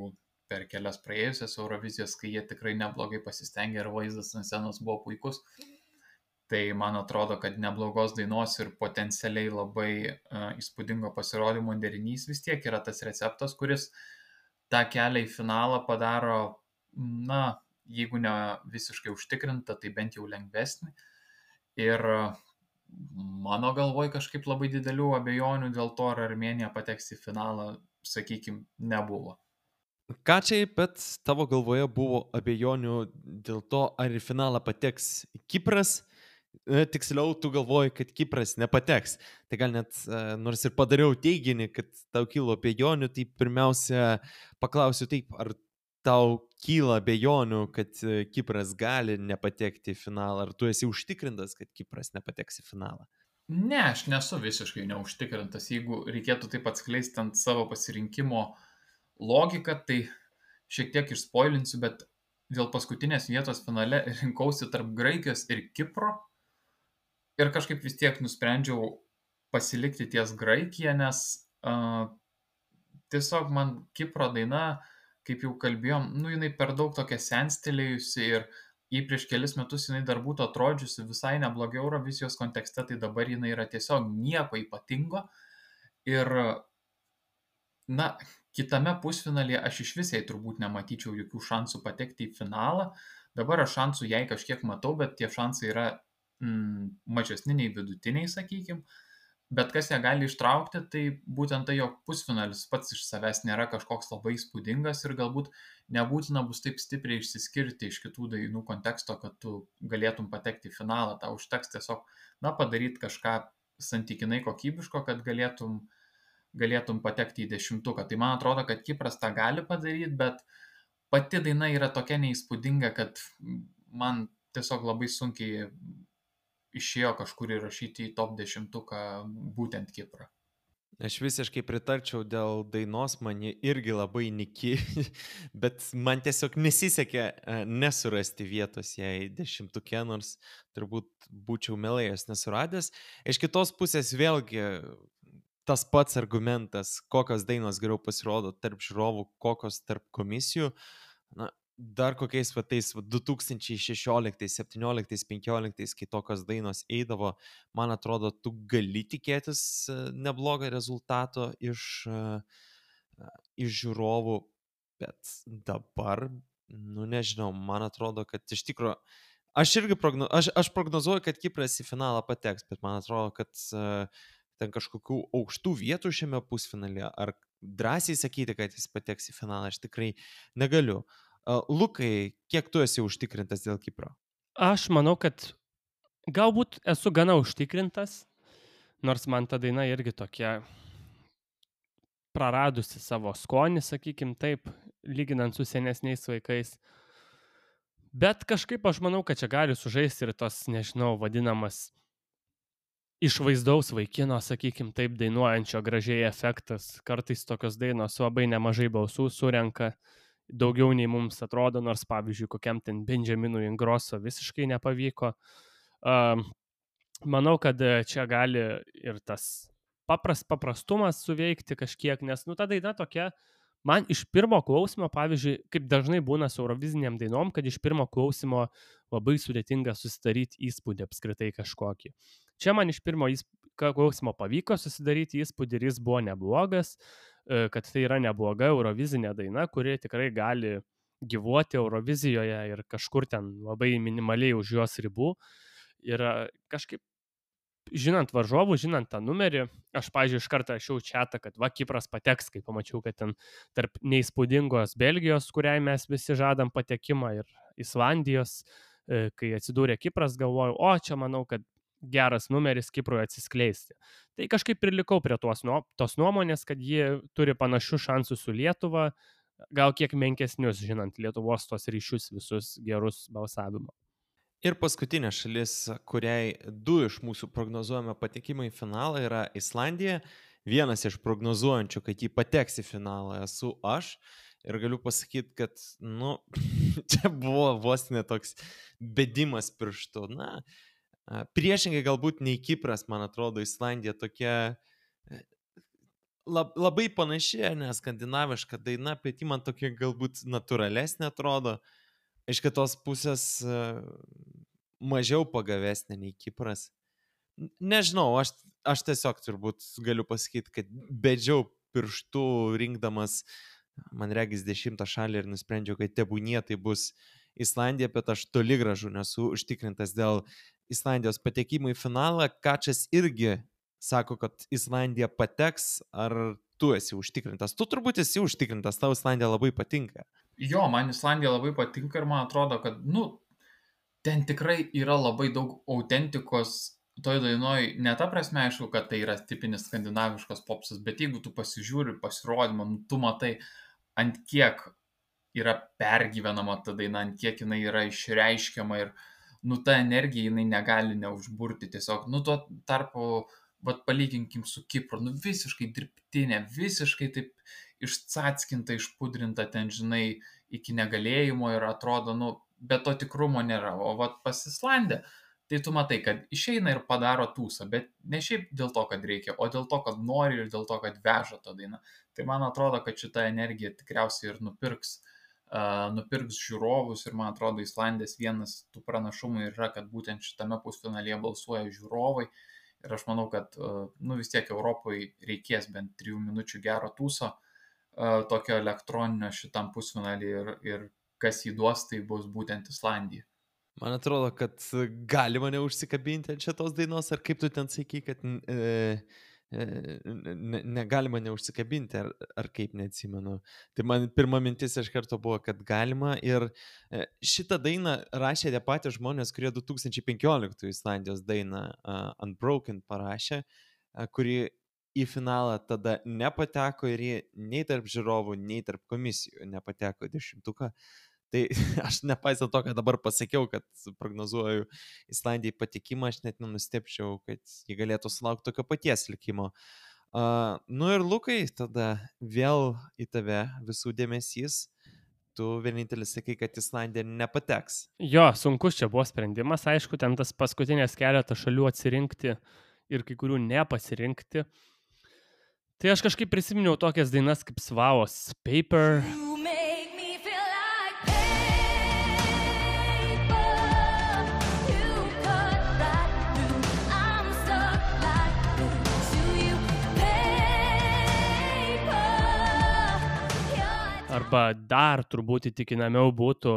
per kelias praėjusias Eurovizijas, kai jie tikrai neblogai pasistengė ir vaizdas ant scenos buvo puikus. Tai man atrodo, kad neblogos dainos ir potencialiai labai įspūdingo pasirodymo derinys vis tiek yra tas receptas, kuris tą kelią į finalą padaro, na, jeigu ne visiškai užtikrinta, tai bent jau lengvesnį. Ir mano galvoj kažkaip labai didelių abejonių dėl to, ar Armėnija pateks į finalą, sakykime, nebuvo. Kačiai, bet tavo galvoje buvo abejonių dėl to, ar į finalą pateks Kipras. Tiksliau, tu galvoji, kad Kipras nepateks. Tai gal net, nors ir padariau teiginį, kad tau kilo abejonių, tai pirmiausia paklausiu taip, ar tau kyla abejonių, kad Kipras gali nepatekti į finalą, ar tu esi užtikrintas, kad Kipras nepateks į finalą? Ne, aš nesu visiškai neužtikrintas. Jeigu reikėtų taip atskleisti ant savo pasirinkimo logiką, tai šiek tiek išspoilinsiu, bet dėl paskutinės vietos finale rinkausi tarp Graikijos ir Kipro ir kažkaip vis tiek nusprendžiau pasilikti ties Graikiją, nes tiesiog man Kipro daina, kaip jau kalbėjom, jinai per daug tokia senstelėjusi ir jei prieš kelis metus jinai dar būtų atrodžiusi visai neblogai Eurovizijos kontekste, tai dabar jinai yra tiesiog nieko ypatingo. Ir, na, kitame pusfinalyje aš iš visai turbūt nematyčiau jokių šansų patekti į finalą. Dabar aš šansų jai kažkiek matau, bet tie šansai yra mažesni nei vidutiniai, sakykime. Bet kas ją gali ištraukti, tai būtent tai, jog pusfinalis pats iš savęs nėra kažkoks labai įspūdingas ir galbūt nebūtina bus taip stipriai išsiskirti iš kitų dainų konteksto, kad tu galėtum patekti į finalą. Tau užteks tiesiog, padaryti kažką santykinai kokybiško, kad galėtum patekti į 10-tuką. Tai man atrodo, kad Kipras tą gali padaryti, bet pati daina yra tokia neįspūdinga, kad man tiesiog labai sunkiai išėjo kažkur įrašyti į top 10-tuką būtent Kiprą. Aš visiškai pritarčiau dėl dainos, man ji irgi labai niki, bet man tiesiog nesisekė nesurasti vietos jai 10-tuke, nors turbūt būčiau mielai nesuradęs. Iš kitos pusės vėlgi tas pats argumentas, kokios dainos geriau pasirodo tarp žiūrovų, kokios tarp komisijų. dar kokiais tais 2016, 17, 15, kai tokios dainos eidavo, man atrodo, tu gali tikėtis neblogą rezultato iš žiūrovų, bet dabar, nu nežinau, man atrodo, kad iš tikrųjų, aš prognozuoju, kad Kipras į finalą pateks, bet man atrodo, kad ten kažkokių aukštų vietų šiame pusfinalyje, ar drąsiai sakyti, kad jis pateks į finalą, aš tikrai negaliu. Lukai, kiek tu esi užtikrintas dėl Kipro? Aš manau, kad galbūt esu gana užtikrintas, nors man ta daina irgi tokia praradusi savo skonį, sakykim taip, lyginant su senesniais vaikais. Bet kažkaip aš manau, kad čia gali sužaisti ir tos, nežinau, vadinamas išvaizdaus vaikino, sakykim taip, dainuojančio gražiai efektas. Kartais tokios dainos labai nemažai balsų surenka, daugiau nei mums atrodo, nors pavyzdžiui, kokiam ten Benjaminui Ingrosso visiškai nepavyko. Manau, kad čia gali ir tas paprastumas suveikti kažkiek, nes ta daina tokia, man iš pirmo klausimo, pavyzdžiui, kaip dažnai būna su euroviziniam dainom, kad iš pirmo klausimo labai sudėtinga susidaryti įspūdį apskritai kažkokį. Čia man iš pirmo klausimo pavyko susidaryti įspūdį ir jis buvo neblogas, kad tai yra nebloga eurovizinė daina, kuri tikrai gali gyvuoti Eurovizijoje ir kažkur ten labai minimaliai už jos ribų. Ir kažkaip, žinant varžovų, žinant tą numerį, aš, pavyzdžiui, iš karto rašiau čatą, kad Kipras pateks, kai pamačiau, kad ten tarp neįspūdingos Belgijos, kuriai mes visi žadam patekimą, ir Islandijos, kai atsidūrė Kipras, galvojau, čia manau, kad geras numeris Kiprui atsiskleisti. Tai kažkaip ir likau prie tos nuomonės, kad jie turi panašius šansus su Lietuva, gal kiek menkesnius, žinant Lietuvos tos ryšius visus gerus balsavimo. Ir paskutinė šalis, kuriai 2 iš mūsų prognozuojame patekimą į finalą, yra Islandija. Vienas iš prognozuojančių, kad jį pateks į finalą, esu aš. Ir galiu pasakyti, kad, čia buvo vos ne toks bedimas pirštu. Priešingai galbūt nei Kipras, man atrodo, Islandija tokia labai panaši, nes skandinaviška daina, bet ji man tokia galbūt natūralesnė atrodo. Iš kitos pusės mažiau pagavesnė nei Kipras. Nežinau, aš tiesiog turbūt galiu pasakyti, kad bedžiau pirštų rinkdamas, man regis 10 šalį, ir nusprendžiau, kad tebūnie tai bus Islandija, bet aš toli gražu nesu užtikrintas dėl Islandijos patekimų į finalą. Kačas irgi sako, kad Islandija pateks, ar tu esi užtikrintas? Tu turbūt esi užtikrintas, tau Islandija labai patinka. Jo, man Islandija labai patinka ir man atrodo, kad, ten tikrai yra labai daug autentikos toj dainoj. Ne ta prasme, aišku, kad tai yra tipinis skandinaviškas popsas, bet jeigu tu pasižiūri pasirodymą, tu matai, ant kiek yra pergyvenama ta daina, ant kiek jinai yra išreiškiama ir, ta energija jinai negali neužburti tiesiog. Tuo tarpu, palyginkim su Kipru, visiškai dirbtinė, visiškai taip išcackinta, išpudrinta, ten, žinai, iki negalėjimo ir atrodo, bet to tikrumo nėra. O pas Islandiją, tai tu matai, kad išeina ir padaro tūsą, bet ne šiaip dėl to, kad reikia, o dėl to, kad nori ir dėl to, kad veža tą dainą. Tai man atrodo, kad šita energija tikriausiai ir nupirks žiūrovus, ir man atrodo, Islandijos vienas tų pranašumų yra, kad būtent šitame pusfinalyje balsuoja žiūrovai. Ir aš manau, kad vis tiek Europoje reikės bent 3 minučių gero tūso, tokio elektroninio šitam pusfinalį, ir kas jį duos, tai bus būtent Islandija. Man atrodo, kad galima neužsikabinti ant šitos dainos, ar kaip tu ten sakai, kad negalima neužsikabinti, ar kaip, neatsimenu. Tai man pirma mintis iš karto buvo, kad galima, ir šitą dainą rašė tie patys žmonės, kurie 2015 Islandijos dainą Unbroken parašė, kuri į finalą tada nepateko ir jie nei tarp žiūrovų, nei tarp komisijų nepateko 10-uką. Tai aš nepaisant to, kad dabar pasakiau, kad prognozuoju Islandijai patekimą, aš net nenustepčiau, kad jie galėtų sulaukti tokio paties likimo. Ir Lukai, tada vėl į tave visų dėmesys. Tu vienintelis sakai, kad Islandija nepateks. Jo, sunkus čia buvo sprendimas, aišku, ten tas paskutinės keletą šalių atsirinkti ir kai kurių nepasirinkti. Tai aš kažkaip prisiminiau tokias dainas kaip Svavos Paper. Arba dar turbūt įtikinamiau būtų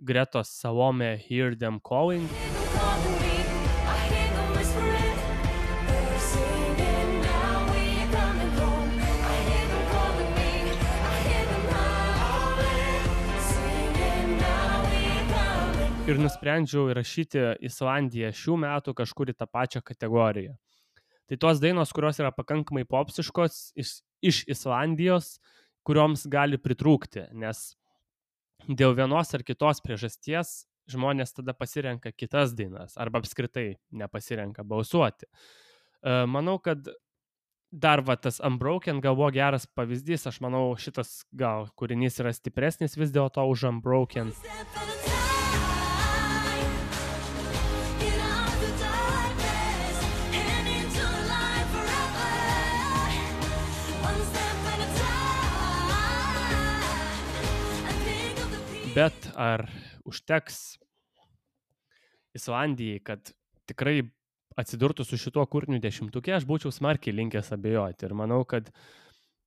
Gretos Salome Hear Them Calling. Ir nusprendžiau įrašyti Islandiją šių metų kažkur į tą pačią kategoriją. Tai tos dainos, kurios yra pakankamai popsiškos iš Islandijos, kurioms gali pritrūkti, nes dėl vienos ar kitos priežasties žmonės tada pasirenka kitas dainas arba apskritai nepasirenka balsuoti. Manau, kad dar tas Unbroken gal buvo geras pavyzdys, aš manau, šitas gal kūrinys yra stipresnis vis dėlto už Unbroken. Bet ar užteks Islandijai, kad tikrai atsidurtų su šituo kūriniu 10-uke, aš būčiau smarkiai linkęs abejoti. Ir manau, kad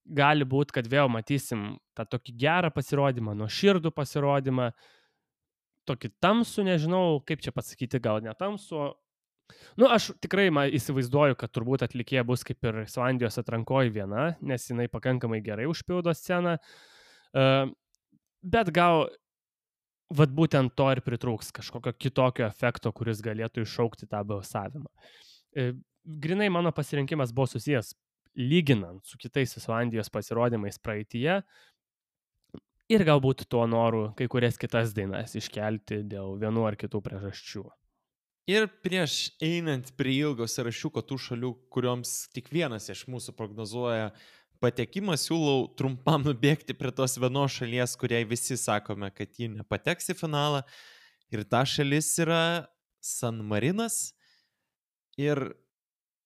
gali būti, kad vėl matysim tą tokį gerą pasirodymą, nuoširdų pasirodymą, tokį tamsų, nežinau, kaip čia pasakyti, gal netamsų. Aš tikrai įsivaizduoju, kad turbūt atlikėja bus kaip ir Islandijos atrankoji viena, nes jinai pakankamai gerai užpildo sceną. Bet gal būtent to ir pritrūks, kažkokio kitokio efekto, kuris galėtų iššaukti tą balsavimą. Grinai mano pasirinkimas buvo susijęs lyginant su kitais Islandijos pasirodymais praeityje ir galbūt tuo noru kai kurias kitas dainas iškelti dėl vienų ar kitų priežasčių. Ir prieš einant prie ilgo sąrašiuko tų šalių, kurioms tik vienas iš mūsų prognozuoja patekimą, siūlau trumpam nubėgti prie tos vienos šalies, kuriai visi sakome, kad ji nepateks į finalą. Ir ta šalis yra San Marinas. Ir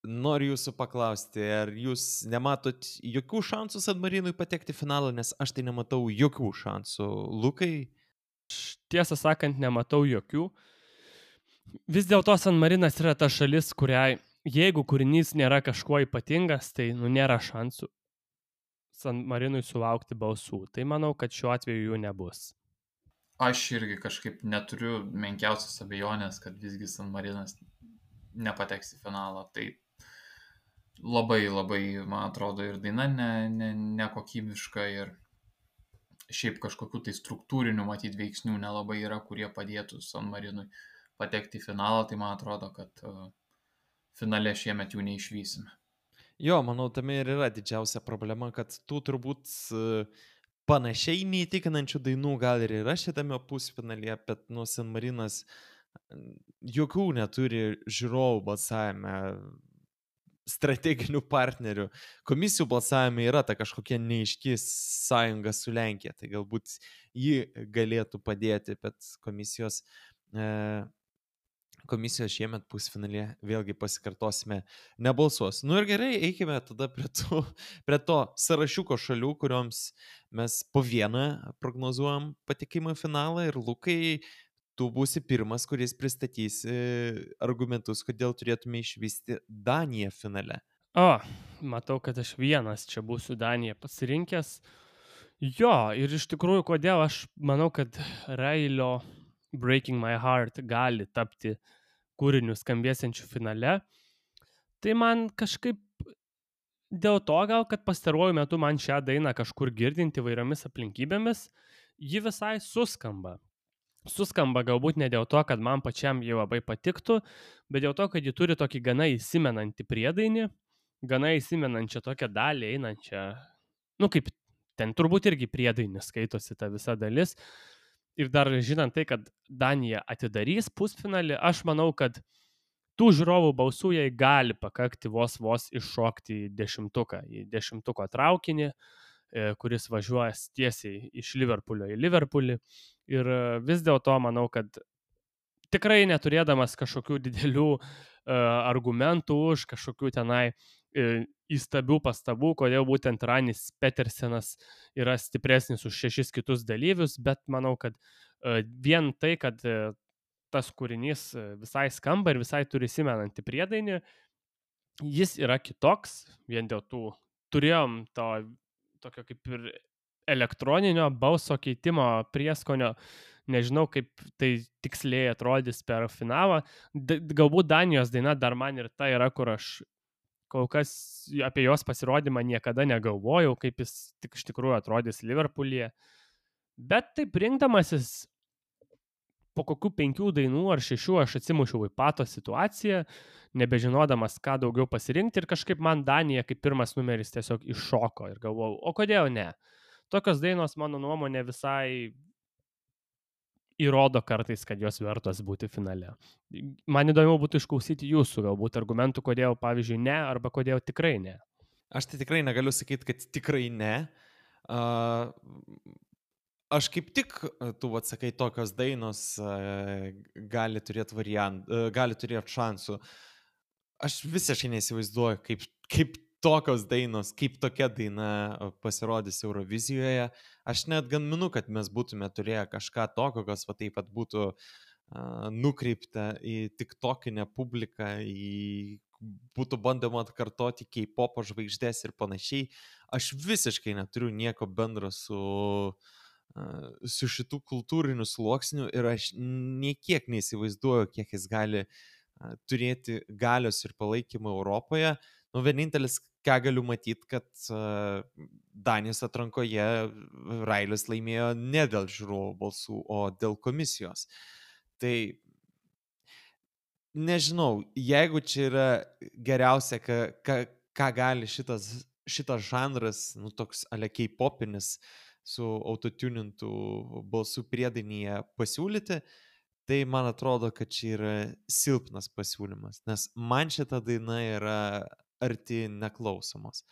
noriu jūsų paklausti, ar jūs nematot jokių šansų San Marinui patekti į finalą, nes aš tai nematau jokių šansų. Lukai? Tiesą sakant, nematau jokių. Vis dėlto San Marinas yra ta šalis, kuriai, jeigu kūrinys nėra kažkuo ypatingas, tai nėra šansų San Marinui sulaukti balsų. Tai manau, kad šiuo atveju jų nebus. Aš irgi kažkaip neturiu menkiausios abejonės, kad visgi San Marinas nepateks į finalą. Tai labai, man atrodo, ir daina nekokybiška ir šiaip kažkokių tai struktūrinių matyt veiksnių nelabai yra, kurie padėtų San Marinui patekti į finalą. Tai man atrodo, kad finale šiemet jų neišvysime. Jo, manau, tame ir yra didžiausia problema, kad tų turbūt panašiai neįtikinančių dainų gal ir yra šitame pusfinalyje, bet San Marinas jokių neturi žiūrovų balsavime, strateginių partnerių. Komisijų balsavime yra ta kažkokia neaiški sąjunga su Lenkija, tai galbūt ji galėtų padėti, bet komisijos šiemet pusfinalėje, vėlgi pasikartosime, nebalsuos. Ir gerai, eikime tada prie to sąrašiuko šalių, kurioms mes po vieną prognozuojam patekimą į finalą. Ir Lukai, tu būsi pirmas, kuris pristatys argumentus, kodėl turėtume išvysti Daniją finale. Matau, kad aš vienas čia būsiu Daniją pasirinkęs. Jo, ir iš tikrųjų, kodėl aš manau, kad Railio Breaking My Heart gali tapti kūriniu skambėsiančiu finale. Tai man kažkaip dėl to gal, kad pastaruoju metu man šią dainą kažkur girdinti įvairiomis aplinkybėmis, ji visai suskamba. Suskamba galbūt ne dėl to, kad man pačiam jį labai patiktų, bet dėl to, kad ji turi tokį gana įsimenantį priedainį, gana įsimenančią tokią dalį einančią, kaip ten turbūt irgi priedainis skaitosi ta visa dalis. Ir dar žinant tai, kad Danija atidarys pusfinalį, aš manau, kad tų žiūrovų balsų jai gali pakakti vos iššokti į 10-uką, į 10-uko traukinį, kuris važiuoja tiesiai iš Liverpoolio į Liverpoolį. Ir vis dėlto manau, kad tikrai neturėdamas kažkokių didelių argumentų už kažkokių tenai įstabių pastabų, kodėl būtent Ranis Petersenas yra stipresnis už 6 kitus dalyvius, bet manau, kad vien tai, kad tas kūrinys visai skamba ir visai turi įsimenantį priedainį, jis yra kitoks, vien dėl tų turėjom to tokio kaip ir elektroninio balso keitimo prieskonio. Nežinau, kaip tai tiksliai atrodys per finalą. Galbūt Danijos daina dar man ir ta yra, kur aš kol kas apie jos pasirodymą niekada negalvojau, kaip jis tik iš tikrųjų atrodys Liverpoolyje. Bet taip rinkdamasis po kokių 5 dainų ar 6 aš atsimušiau į pato situaciją, nebežinodamas, ką daugiau pasirinkti ir kažkaip man Danija kaip pirmas numeris tiesiog iššoko ir galvojau, o kodėl ne? Tokios dainos, mano nuomonė, visai įrodo kartais, kad jos vertos būti finale. Man įdomu būtų išklausyti jūsų galbūt argumentų, kodėl, pavyzdžiui, ne, arba kodėl tikrai ne. Aš tai tikrai negaliu sakyti, kad tikrai ne. Aš kaip tik, tu atsakai, tokios dainos gali turėti šansų. Aš visiškai neįsivaizduoju, kaip tokios dainos, kaip tokia daina pasirodys Eurovizijoje. Aš net gaminu, kad mes būtume turėję kažką tokio, kas va taip pat būtų nukreipta į tiktokinę publiką, būtų bandoma atkartoti K-popo žvaigždės ir panašiai. Aš visiškai neturiu nieko bendro su šitų kultūrinių sluoksnių ir aš niekiek neįsivaizduoju, kiek jis gali turėti galios ir palaikymą Europoje. Vienintelis, ką galiu matyti, kad Danijos atrankoje Railis laimėjo ne dėl žiūrovų balsų, o dėl komisijos. Tai nežinau, jeigu čia yra geriausia, ką gali šitas žanras, toks ale K-popinis su autotunintų balsų priedainyje pasiūlyti, tai man atrodo, kad čia yra silpnas pasiūlymas, nes man šita daina yra arti neklausomos.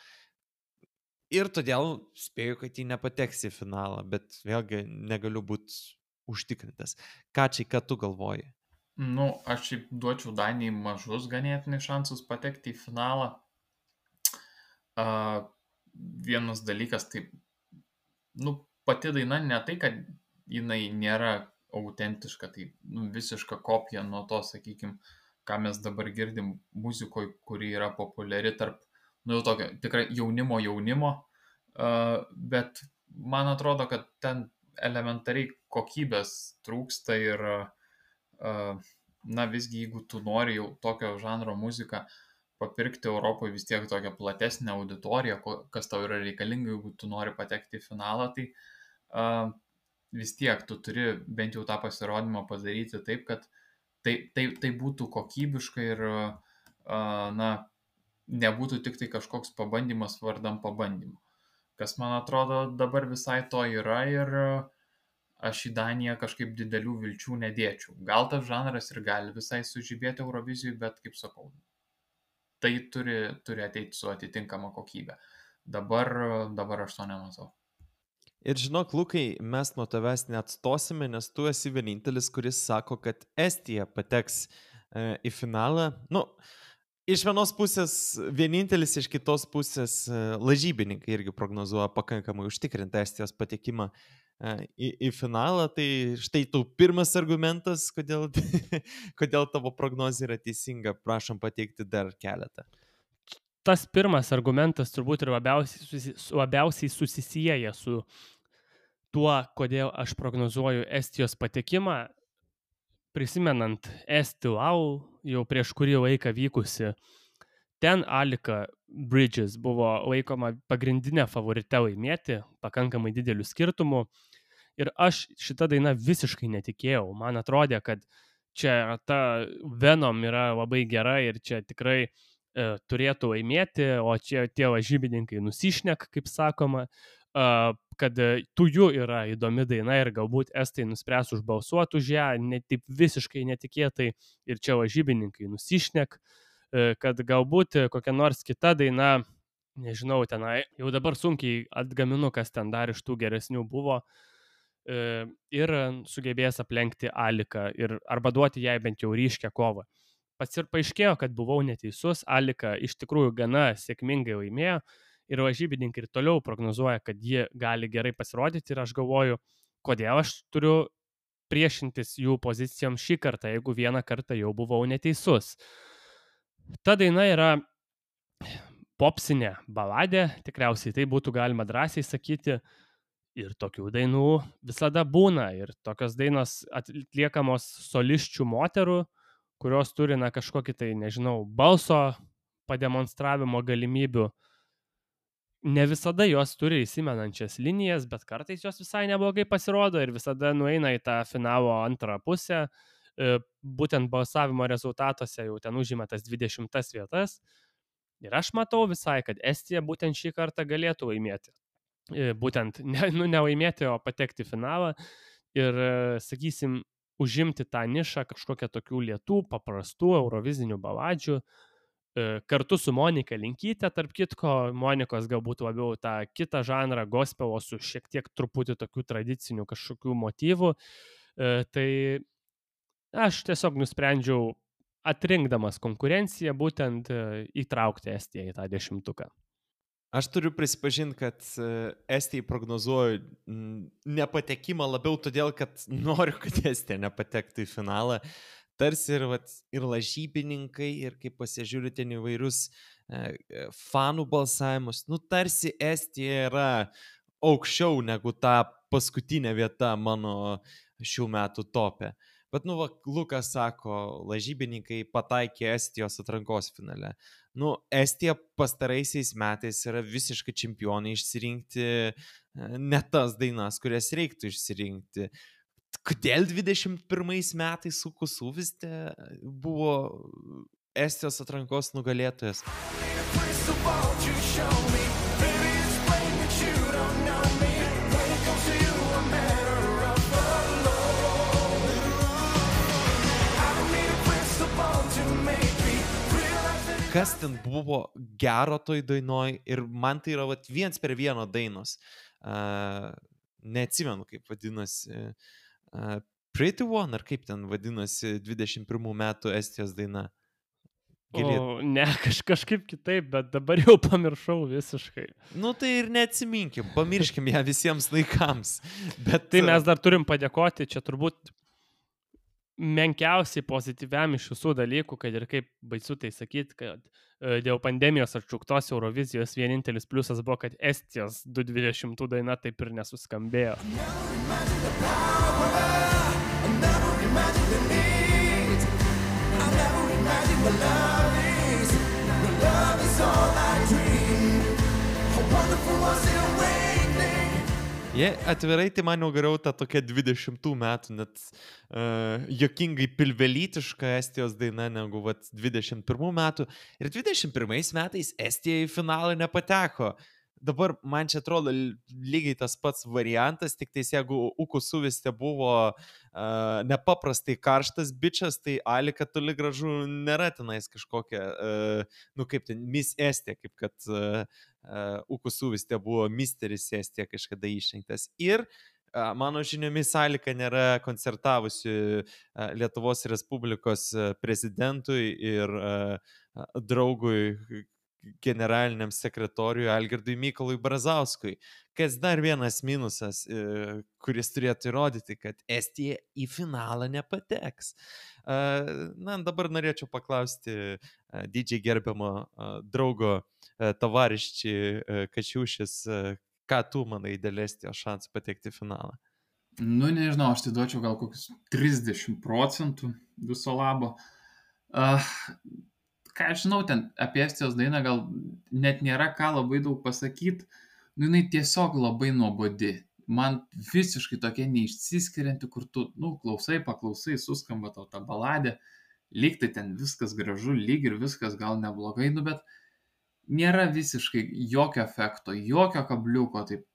Ir todėl spėju, kad jį nepateks į finalą, bet vėlgi negaliu būti užtikrintas. Ką tu galvoji? Aš šiaip duočiau Danijai mažus ganėtinai šansus patekti į finalą. Vienas dalykas, tai pati daina ne tai, kad jinai nėra autentiška, tai visiška kopija nuo to, sakykime, ką mes dabar girdim muzikoje, kuri yra populiari tarp, tokio tikrai jaunimo, bet man atrodo, kad ten elementariai kokybės trūksta ir visgi, jeigu tu nori jau tokio žanro muziką papirkti Europoje, vis tiek tokią platesnę auditoriją, kas tau yra reikalinga, jeigu tu nori patekti į finalą, tai vis tiek tu turi bent jau tą pasirodymą padaryti taip, kad tai būtų kokybiška ir nebūtų tik tai kažkoks pabandymas vardan pabandymo. Kas man atrodo dabar visai to yra ir aš į Daniją kažkaip didelių vilčių nedėčiau. Gal tas žanras ir gali visai sužibėti Eurovizijui, bet kaip sakau, tai turi ateiti su atitinkama kokybė. Dabar aš to nematau. Ir žinok, Lukai, mes nuo tavęs neatstosime, nes tu esi vienintelis, kuris sako, kad Estija pateks į finalą. Iš vienos pusės vienintelis, iš kitos pusės lažybininkai irgi prognozuoja pakankamai užtikrintą Estijos patekimą į finalą. Tai štai tau pirmas argumentas, kodėl tavo prognozė yra teisinga. Prašom pateikti dar keletą. Tas pirmas argumentas turbūt ir labiausiai susisieja su tuo, kodėl aš prognozuoju Estijos patekimą. Prisimenant Estilau, jau prieš kurį laiką vykusi, ten Alika Bridges buvo laikoma pagrindinė favorite laimėti, pakankamai dideliu skirtumu. Ir aš šitą dainą visiškai netikėjau. Man atrodė, kad čia ta Venom yra labai gera ir čia tikrai turėtų laimėti, o čia tie lažybininkai nusišnek, kaip sakoma, kad Tuju yra įdomi daina ir galbūt estai nuspręs užbalsuoti už ją, taip visiškai netikėtai, ir čia lažybininkai nusišnek, kad galbūt kokia nors kita daina, nežinau, tenai, jau dabar sunkiai atgaminu, kas ten dar iš tų geresnių buvo, ir sugebės aplenkti Aliką arba duoti jai bent jau ryškę kovą. Paaiškėjo, kad buvau neteisus, Alika iš tikrųjų gana sėkmingai laimėjo ir lažybininkai ir toliau prognozuoja, kad ji gali gerai pasirodyti ir aš galvoju, kodėl aš turiu priešintis jų pozicijom šį kartą, jeigu vieną kartą jau buvau neteisus. Ta daina yra popsinė baladė, tikriausiai tai būtų galima drąsiai sakyti, Ir tokių dainų visada būna. Ir tokios dainos atliekamos solisčių moterų, kurios turi kažkokį tai, nežinau, balso pademonstravimo galimybių. Ne visada jos turi įsimenančias linijas, bet kartais jos visai neblogai pasirodo ir visada nueina į tą finalo antrą pusę. Būtent balsavimo rezultatuose jau ten užima tas 20 vietas. Ir aš matau visai, kad Estija būtent šį kartą galėtų laimėti. Būtent ne laimėti, o patekti į finalą. Ir, sakysim, užimti tą nišą kažkokią tokių lėtų, paprastų eurovizinių baladžių. Kartu su Monika Linkyte, tarp kitko, Monikos galbūt labiau tą kitą žanrą, gospelo su šiek tiek truputį tokių tradicinių kažkokių motyvų. Tai aš tiesiog nusprendžiau, atrinkdamas konkurenciją, būtent įtraukti Estiją į tą 10. Aš turiu prisipažinti, kad Estijai prognozuoju nepatekimą labiau todėl, kad noriu, kad Estija nepatektų į finalą. Tarsi ir lažybininkai, ir kaip pasižiūri ten įvairius fanų balsavimus, tarsi Estija yra aukščiau negu ta paskutinė vieta mano šių metų tope. Bet, Lukas sako, lažybininkai pataikė Estijos atrankos finale. Estija pastaraisiais metais yra visiškai čempionai išsirinkti ne tas dainas, kurias reiktų išsirinkti. Kodėl 21 metais Ukusuviste buvo Estijos atrankos nugalėtojas? Kas ten buvo gero toj dainoj ir man tai yra 1:1 dainos. Neatsimenu, kaip vadinasi. Pretty One, ar kaip ten vadinasi 21 metų Estijos daina? Ne, kažkaip kitaip, bet dabar jau pamiršau visiškai. Tai ir neatsiminkim, pamirškim ją visiems laikams. Bet tai mes dar turim padėkoti, čia turbūt menkiausiai pozityviam iš visų dalykų, kad ir kaip baisu tai sakyti, kad dėl pandemijos atšauktos Eurovizijos vienintelis pliusas buvo, kad Estijos 2020 daina taip ir nesuskambėjo. Atvirai, tai man jau geriau ta tokia 20 metų, net juokingai pilvelytiška Estijos daina negu 21 metų. Ir 21 metais Estija į finalą nepateko. Dabar man čia atrodo lygiai tas pats variantas, tik tais jeigu Ukusuviste buvo nepaprastai karštas bičas, tai Alika toli gražu nėra tenais kažkokia, kaip ten, Miss Estija, kaip kad Ukusuviste buvo Misteris Estija kažkada išrinktas. Ir mano žiniomis Alika nėra koncertavusi Lietuvos Respublikos prezidentui ir draugui generaliniam sekretoriui Algirdui Mykolui Brazauskui. Kas dar vienas minusas, kuris turėtų įrodyti, kad Estija į finalą nepateks. Dabar norėčiau paklausti didžiai gerbiamo draugo Tavariščiai Kačiūšis, ką tu manai dėl Estijos šansų patekti į finalą? Nežinau, aš tai duočiau gal kokius 30% viso labo. Ką aš žinau, ten apie Estijos dainą gal net nėra ką labai daug pasakyti. Jinai tiesiog labai nuobodi. Man visiškai tokia neišsiskirianti, kur tu, paklausai, suskamba tau ta baladė, lyg tai ten viskas gražu, lyg ir viskas gal neblogai, bet nėra visiškai jokio efekto, jokio kabliuko, taip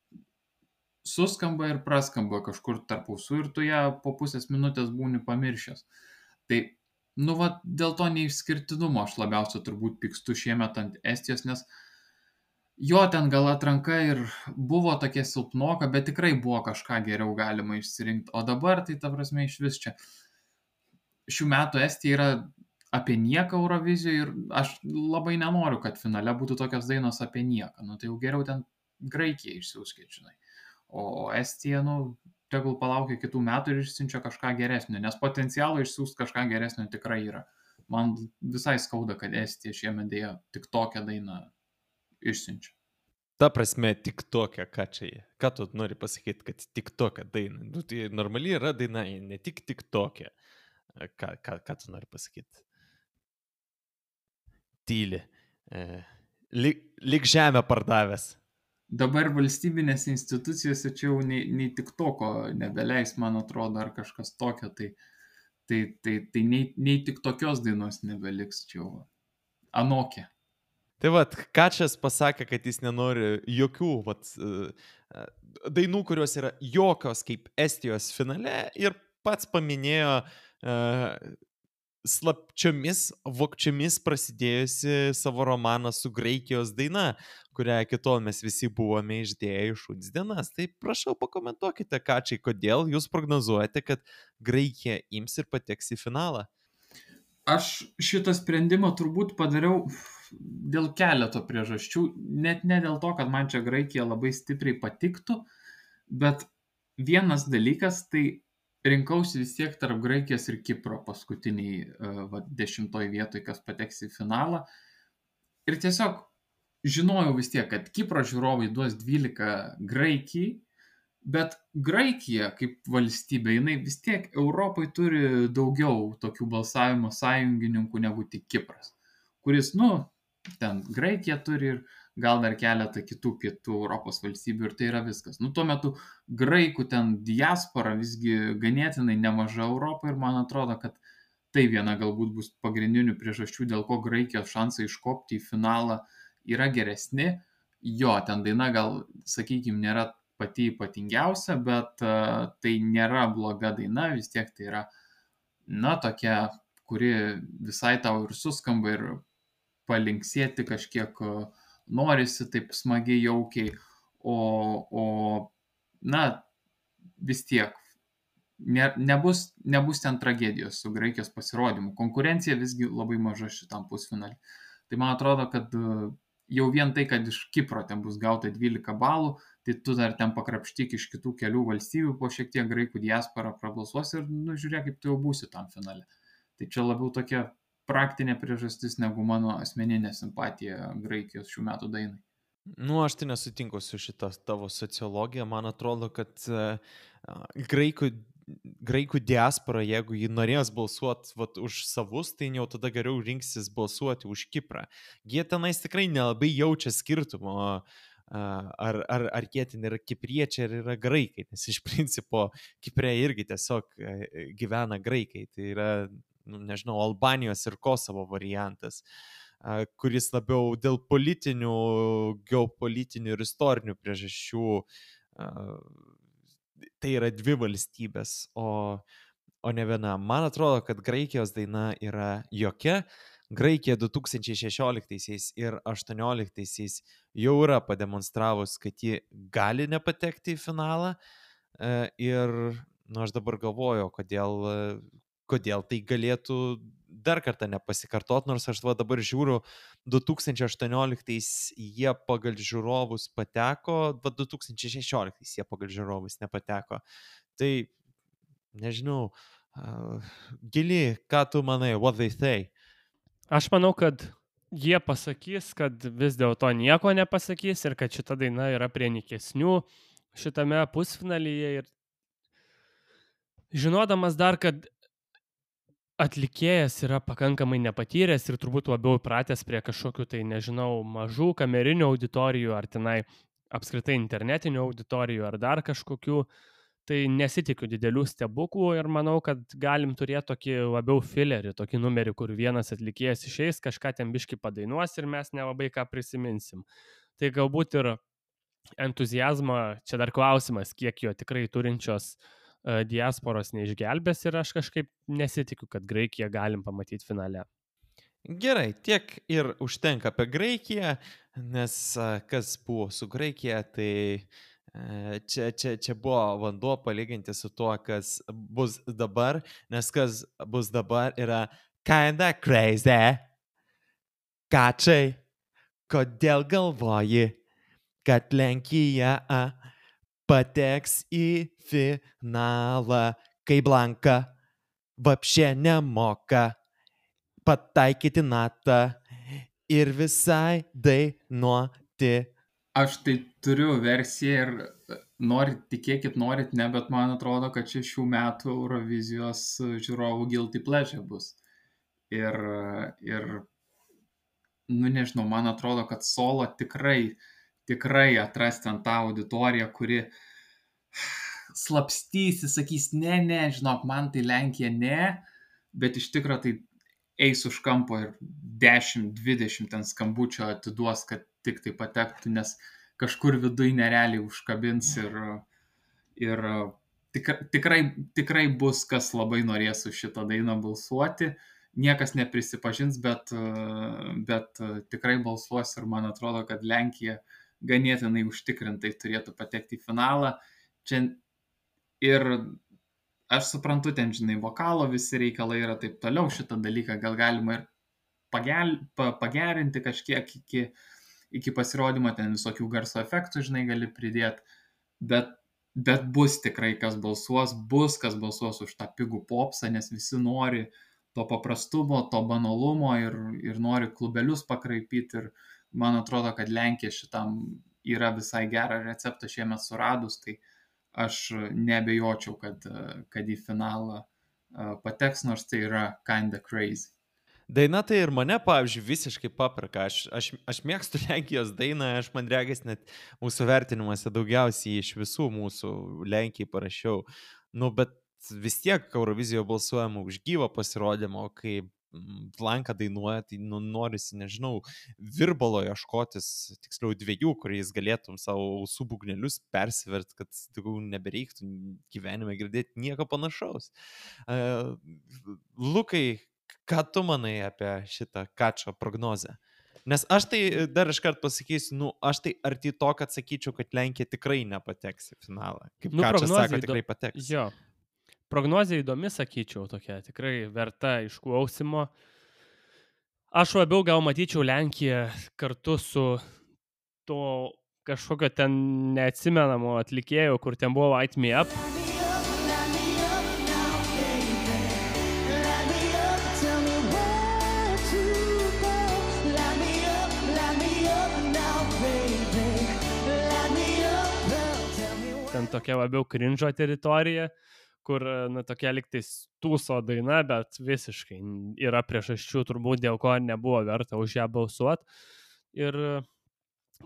suskamba ir praskamba kažkur tarp ausų ir tu ją po pusės minutės būni pamiršęs. Tai dėl to neišskirtinumo aš labiausiai turbūt pykstu šiemet ant Estijos, nes jo ten gal atranka ir buvo tokia silpnoka, bet tikrai buvo kažką geriau galima išsirinkti. O dabar tai ta prasme iš vis čia. Šių metų Estija yra apie nieką Eurovizijoje ir aš labai nenoriu, kad finale būtų tokios dainos apie nieką. Tai jau geriau ten Graikiją išsiųskit, žinai. O Estija, tegul palaukia kitų metų ir išsiunčia kažką geresnio, nes potencialo išsiųsti kažką geresnio tikrai yra. Man visai skauda, kad Estija šiemet dėjo tik tokią dainą išsiunčia. Ta prasme, tik tokia, ką čia jie. Ką tu nori pasakyti, kad tik tokia daina? Nu, tai normaliai yra daina, ne tik tokia. Ką tu nori pasakyti? Tyli. Lik žemę pardavęs. Dabar valstybinės institucijose čia jau nei TikToko nebeleis, man atrodo, ar kažkas tokio, tai nei tik tokios dainos nebeliks čia jau. Anokia. Tai vat, Kačas pasakė, kad jis nenori jokių dainų, kurios yra jokios kaip Estijos finale ir pats paminėjo slapčiomis, vokčiomis prasidėjusi savo romaną su Graikijos daina, kurią kitol mes visi buvome išdėję iš šuns dienas. Tai prašau pakomentuokite, Kačiai, kodėl jūs prognozuojate, kad Graikija ims ir pateks į finalą? Aš šitą sprendimą turbūt padariau dėl keleto priežasčių, net ne dėl to, kad man čia Graikija labai stipriai patiktų, bet vienas dalykas, tai rinkausi vis tiek tarp Graikijos ir Kipro paskutiniai 10 vietoj, kas pateks į finalą. Ir tiesiog žinojau vis tiek, kad Kipro žiūrovai duos 12 Graikijai, bet Graikija kaip valstybė, jinai vis tiek Europai turi daugiau tokių balsavimo sąjungininkų negu tik Kipras, kuris, ten Graikija turi ir gal dar keletą kitų pietų Europos valstybių ir tai yra viskas. Tuo metu graikų ten diaspora visgi ganėtinai nemaža Europoje ir man atrodo, kad tai viena galbūt bus pagrindinių priežasčių, dėl ko Graikijos šansai iškopti į finalą yra geresni. Jo, ten daina gal, sakykime, nėra pati ypatingiausia, bet tai nėra bloga daina, vis tiek tai yra, tokia, kuri visai tau ir suskamba ir palinksėti kažkiek norisi taip smagiai, jaukiai, vis tiek nebus ten tragedijos su Graikijos pasirodymu. Konkurencija visgi labai maža šitam pusfinalį. Tai man atrodo, kad jau vien tai, kad iš Kipro ten bus gauta 12 balų, tai tu dar ten pakrapštyk iš kitų kelių valstybių, po šiek tiek graikų diaspora prabalsuos ir žiūrėk, kaip tu jau būsi tam finale. Tai čia labiau tokia praktinė priežastis negu mano asmeninė simpatija Graikijos šių metų dainai. Aš tai nesutinku su šitą tavo sociologija. Man atrodo, kad graikų diaspora, jeigu jį norės balsuoti už savus, tai jau tada geriau rinksis balsuoti už Kiprą. Jie tenais tikrai nelabai jaučia skirtumo, ar jie ten yra kipriečiai, ar yra graikai, nes iš principo Kipre irgi tiesiog gyvena graikai. Tai yra, nežinau, Albanijos ir Kosovo variantas, kuris labiau dėl politinių, geopolitinių ir istorinių priežasčių tai yra dvi valstybės, o ne viena. Man atrodo, kad Graikijos daina yra jokia. Graikija 2016 ir 2018 jau yra pademonstravus, kad ji gali nepatekti į finalą. Ir aš dabar galvoju, kodėl tai galėtų dar kartą nepasikartot, nors aš dabar žiūriu, 2018 jie pagal žiūrovus pateko, 2016 jie pagal žiūrovus nepateko. Tai, nežinau, Gili, ką tu manai, what they say? Aš manau, kad jie pasakys, kad vis dėlto nieko nepasakys ir kad šita daina yra prie nikesnių šitame pusfinalyje. Ir žinodamas dar, kad atlikėjas yra pakankamai nepatyręs ir turbūt labiau pratęs prie kažkokių tai, nežinau, mažų kamerinių auditorijų ar tenai apskritai internetinių auditorijų ar dar kažkokių, tai nesitikiu didelių stebuklų ir manau, kad galim turėti tokį labiau filerį, tokį numerį, kur vienas atlikėjas išeis, kažką ten biškį padainuos ir mes nelabai ką prisiminsim. Tai galbūt ir entuziazmą, čia dar klausimas, kiek jo tikrai turinčios diasporos neišgelbės ir aš kažkaip nesitikiu, kad Graikiją galim pamatyti finale. Gerai, tiek ir užtenka apie Graikiją, nes kas buvo su Graikija, tai čia buvo vanduo palyginti su tuo, kas bus dabar, nes kas bus dabar yra kinda crazy. Kačiai, kodėl galvoji, kad Lenkija pateks į finalą, kai Blanka vapšė nemoka pataikyti natą ir visai dainuoti Aš tai turiu versiją ir norit tikėkit, norit ne, bet man atrodo, kad čia šių metų Eurovizijos žiūrovų guilty pleasure bus. Ir, nu nežinau, man atrodo, kad solo tikrai atras ten tą auditoriją, kuri slapstysi, sakys, ne, žinok, man tai Lenkija ne, bet iš tikrųjų tai eis už kampo ir 10-20 ten skambučio atiduos, kad tik tai patektų, nes kažkur viduj nerealiai užkabins ir tikrai bus, kas labai norės už šitą dainą balsuoti. Niekas neprisipažins, bet tikrai balsuos ir man atrodo, kad Lenkija ganėtinai užtikrintai turėtų patekti į finalą. Čia ir aš suprantu, ten, žinai, vokalo visi reikalai yra taip toliau, šitą dalyką gal galima ir pagerinti kažkiek iki pasirodymo, ten visokių garso efektų, žinai, gali pridėti, bet bus tikrai kas balsuos už tą pigų popsą, nes visi nori to paprastumo, to banalumo ir nori klubelius pakraipyti ir man atrodo, kad Lenkija šitam yra visai gerą receptą šiemet suradus, tai aš neabejočiau, kad į finalą pateks, nors tai yra kinda crazy. Daina tai ir mane, pavyzdžiui, visiškai papraka. Aš mėgstu Lenkijos dainą, aš man regis net mūsų vertinimuose daugiausiai iš visų mūsų Lenkijai parašiau. Nu, bet vis tiek Eurovizijoje balsuojama už gyvą pasirodymą, kai Blanka dainuoja, tai norisi, nežinau, virbalo ieškotis, tiksliau 2, kuriais galėtum savo ausų būgnelius persivert, kad nebereiktų gyvenime girdėti nieko panašaus. Lukai, ką tu manai apie šitą Kačo prognozę? Nes aš tai dar iškart pasakysiu, aš tai arti to, kad sakyčiau, kad Lenkija tikrai nepateks į finalą. Kaip Kačas sako, tikrai pateks. Jo. Prognozija įdomi, sakyčiau, tokia tikrai verta išklausimo. Aš labiau gal matyčiau Lenkiją kartu su to kažkokio ten neatsimenamo atlikėjo, kur ten buvo Light Me Up. Ten tokia labiau cringe teritorija, kur, tokia liktais tūso daina, bet visiškai yra priežasčių turbūt, dėl ko nebuvo verta už ją balsuoti. Ir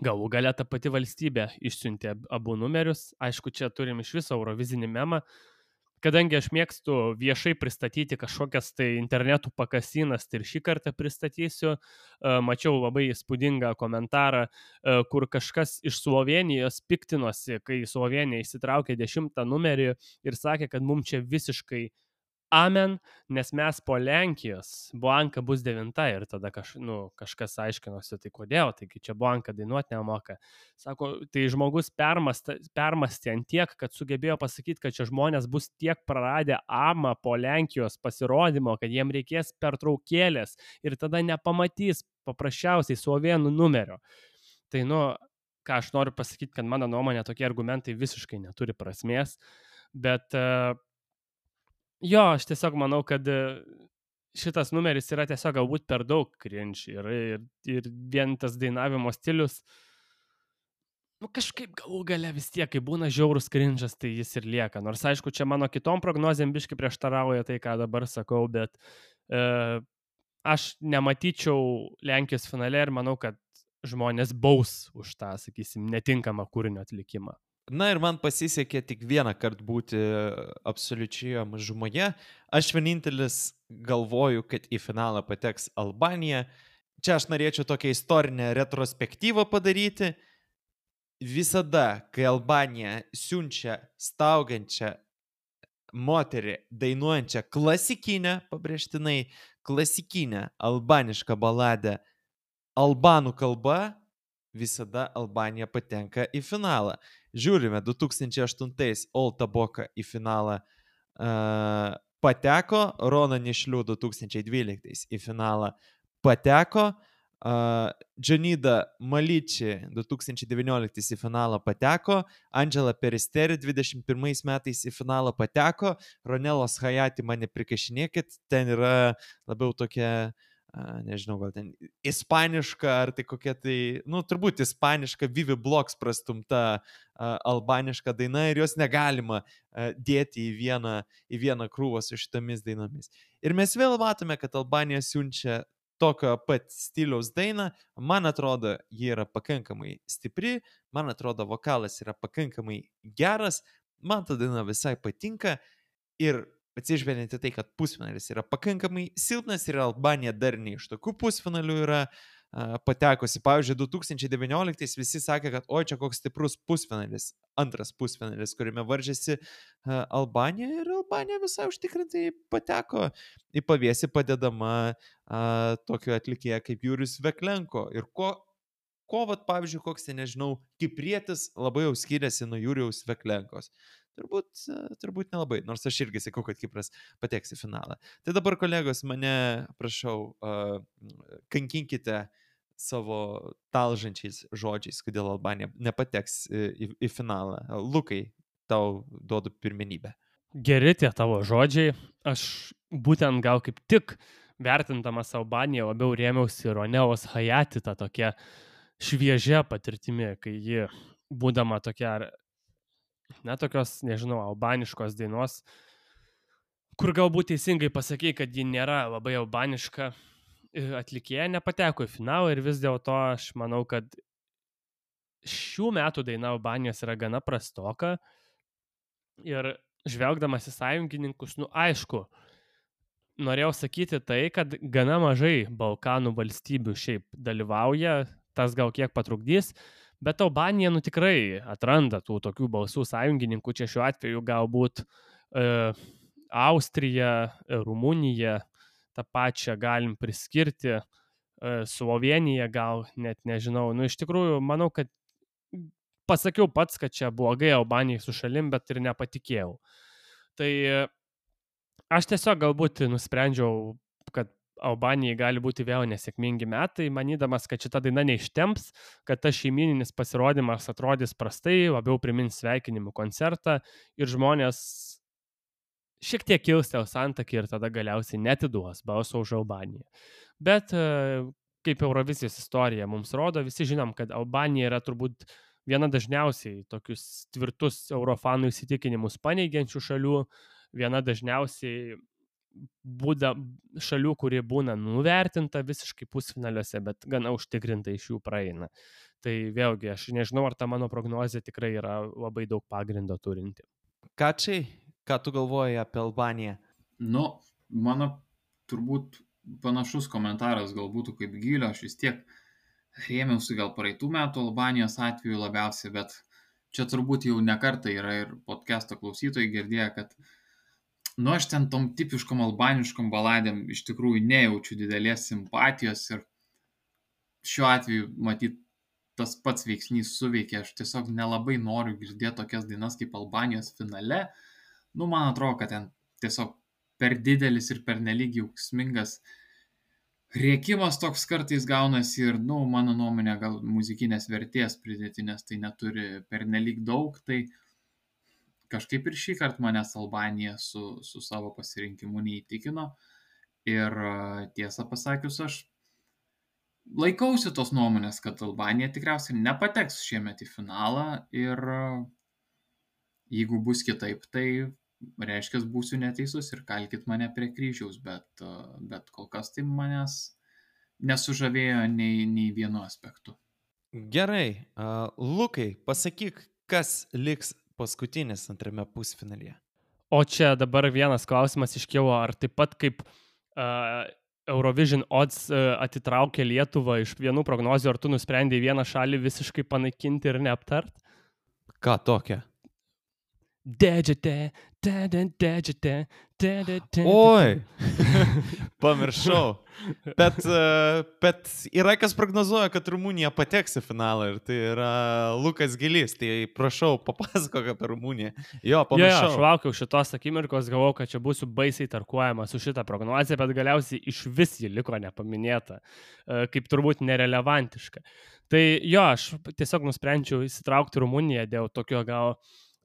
galų gale ta pati valstybė išsiuntė abu numerius. Aišku, čia turim iš viso Eurovizinį memą. Kadangi aš mėgstu viešai pristatyti kažkokias tai internetų pakasinas, tai ir šį kartą pristatysiu. Mačiau labai įspūdingą komentarą, kur kažkas iš Slovenijos piktinosi, kai Slovenija įsitraukė 10 numerį ir sakė, kad mums čia visiškai amen, nes mes po Lenkijos Blanka bus 9 ir tada kažkas aiškinosi, tai kodėl, taigi čia Blanka dainuoti nemoka. Sako, tai žmogus permastė ant tiek, kad sugebėjo pasakyti, kad čia žmonės bus tiek praradę amą po Lenkijos pasirodymo, kad jiem reikės pertraukėlės ir tada nepamatys paprasčiausiai slovėnų numerio. Tai, ką aš noriu pasakyti, kad mano nuomonė tokie argumentai visiškai neturi prasmės, bet jo, aš tiesiog manau, kad šitas numeris yra tiesiog galbūt per daug cringe ir vien tas dainavimo stilius, kažkaip galų gale vis tiek, kai būna žiaurus cringe'as, tai jis ir lieka. Nors aišku, čia mano kitom prognozėm biškai prieštarauja tai, ką dabar sakau, bet aš nematyčiau Lenkijos finale ir manau, kad žmonės baus už tą, sakysim, netinkamą kūrinio atlikimą. Na ir man pasisekė tik vieną kartą būti absoliučioje mažumoje. Aš vienintelis galvoju, kad į finalą pateks Albanija. Čia aš norėčiau tokią istorinę retrospektyvą padaryti. Visada, kai Albanija siunčia staugiančią moterį, dainuojančią klasikinę, pabrėžtinai klasikinę albanišką baladę albanų kalba, visada Albanija patenka į finalą. Žiūrime, 2008 Olta Boka į finalą pateko, Rona Nišlių 2012 į finalą pateko, Džanida Maliči 2019 į finalą pateko, Angela Peristeri 2021 metais į finalą pateko, Ronelos Hayati mane prikašinėkit, ten yra labiau tokia nežinau, gal ten ispaniška, ar tai kokia tai, turbūt ispaniška Vivi Blogs prastumta albaniška daina ir jos negalima dėti į vieną krūvą su šitomis dainomis. Ir mes vėl matome, kad Albanija siunčia tokio pat stiliaus dainą, man atrodo, ji yra pakankamai stipri, man atrodo, vokalas yra pakankamai geras, man ta daina visai patinka ir atsižvelgiant į tai, kad pusfinalis yra pakankamai silpnas ir Albanija dar ne iš tokių pusfinalių yra patekusi. Pavyzdžiui, 2019 visi sakė, kad oi, čia koks stiprus pusfinalis, antras pusfinalis, kuriame varžėsi Albanija ir Albanija visai užtikrintai pateko į paviesį padedama tokio atlikėją kaip Jurijus Veklenko. Ir vat, pavyzdžiui, koks, nežinau, kiprietis labai jau skiriasi nuo Jurijaus Veklenkos. Turbūt nelabai, nors aš irgi sakau, kad Kipras pateks į finalą. Tai dabar, kolegos, mane, prašau, kankinkite savo talžančiais žodžiais, kodėl Albanija nepateks į finalą. Lukai, tau duodu pirmenybę. Geri tie tavo žodžiai. Aš būtent gal kaip tik vertindamas Albaniją labiau rėmiausi Roneos Hayati tą tokią šviežia patirtimi, kai ji, būdama tokia, tokios, nežinau, albaniškos dainos, kur galbūt teisingai pasakei, kad ji nėra labai albaniška, atlikėja nepateko į finalą ir vis dėlto aš manau, kad šių metų daina Albanijos yra gana prastoka ir žvelgdamas į sąjungininkus, aišku, norėjau sakyti tai, kad gana mažai Balkanų valstybių šiaip dalyvauja, tas gal kiek patrukdys, bet Albanija tikrai atranda tų tokių balsų sąjungininkų, čia šiuo atveju galbūt Austrija, Rumunija, tą pačią galim priskirti, Slovenija gal, net nežinau, iš tikrųjų, manau, kad pasakiau pats, kad čia blogai Albanijai su šalim, bet ir nepatikėjau. Tai aš tiesiog galbūt nusprendžiau, kad Albanijai gali būti vėl nesėkmingi metai, manydamas, kad šita daina neištemps, kad tas šeimininis pasirodymas atrodys prastai, labiau primins sveikinimų koncertą ir žmonės šiek tiek kilstels antakį ir tada galiausiai netiduos balso už Albaniją. Bet kaip Eurovizijos istorija mums rodo, visi žinom, kad Albanija yra turbūt viena dažniausiai tokius tvirtus eurofanų įsitikinimus paneigiančių šalių, viena dažniausiai šalių, kurie būna nuvertinta visiškai pusfinaliuose, bet gana užtikrintai iš jų praeina. Tai vėlgi, aš nežinau, ar ta mano prognozė tikrai yra labai daug pagrindo turinti. Kačiai, ką tu galvoji apie Albaniją? Mano turbūt panašus komentaras gal būtų kaip Gylio, aš vis tiek rėmiausi gal praeitų metų Albanijos atveju labiausiai, bet čia turbūt jau ne kartą yra ir podcast'o klausytojai girdėję, kad aš ten tom tipiškom albaniškom baladėm iš tikrųjų nejaučiu didelės simpatijos ir šiuo atveju matyt tas pats veiksnys suveikia, aš tiesiog nelabai noriu girdėti tokias dainas kaip Albanijos finale. Man atrodo, kad ten tiesiog per didelis ir per nelyg jausmingas rėkimas toks kartais gaunasi ir, mano nuomonė, gal muzikinės vertės pridėtinės tai neturi per nelyg daug, tai kažkaip ir šį kartą manęs Albanija su savo pasirinkimu neįtikino ir tiesą pasakius, aš laikausi tos nuomonės, kad Albanija tikriausiai nepateks šiemet į finalą ir jeigu bus kitaip, tai reiškia, būsiu neteisus ir kalkit mane prie kryžiaus, bet kol kas tai manęs nesužavėjo nei vienu aspektu. Gerai, Lukai, pasakyk, kas liks paskutinis antrame pusfinalyje. O čia dabar vienas klausimas iškilo, ar taip pat kaip Eurovision Odds atitraukė Lietuvą iš vienų prognozių, ar tu nusprendei vieną šalį visiškai panaikinti ir neaptart? Ką tokia? Oi, pamiršau. Bet yra kas prognozuoja, kad Rumunija pateks į finalą ir tai yra Lukas Gilys, tai prašau, papasakok apie Rumuniją. Jo, pamiršau. Aš laukiau šitos akimirkos, galvojau, kad čia būsiu baisiai tarkuojama su šitą prognozę, bet galiausiai iš vis ji liko nepaminėta, kaip turbūt nerelevantiška. Tai jo, aš tiesiog nusprendžiau įsitraukti Rumuniją dėl tokio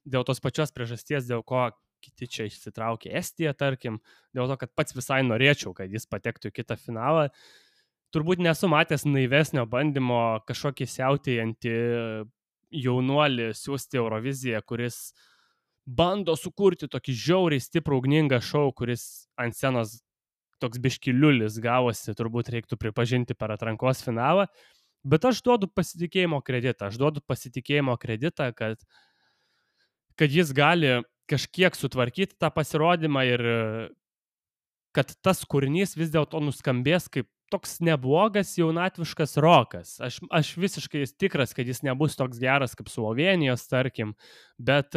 dėl tos pačios priežasties, dėl ko kiti čia išsitraukė Estiją, tarkim, dėl to, kad pats visai norėčiau, kad jis patektų į kitą finalą. Turbūt nesu matęs naivesnio bandymo kažkokį siautėjantį jaunuolį siūsti Euroviziją, kuris bando sukurti tokį žiauriai stiprų ugningą šou, kuris ant scenos toks biškiliulis gavosi, turbūt reiktų pripažinti per atrankos finalą. Bet aš duodu pasitikėjimo kreditą, kad jis gali kažkiek sutvarkyti tą pasirodymą ir kad tas kūrinys vis dėlto nuskambės kaip toks neblogas jaunatviškas rokas. Aš visiškai tikras, kad jis nebus toks geras kaip Slovenijos, tarkim, bet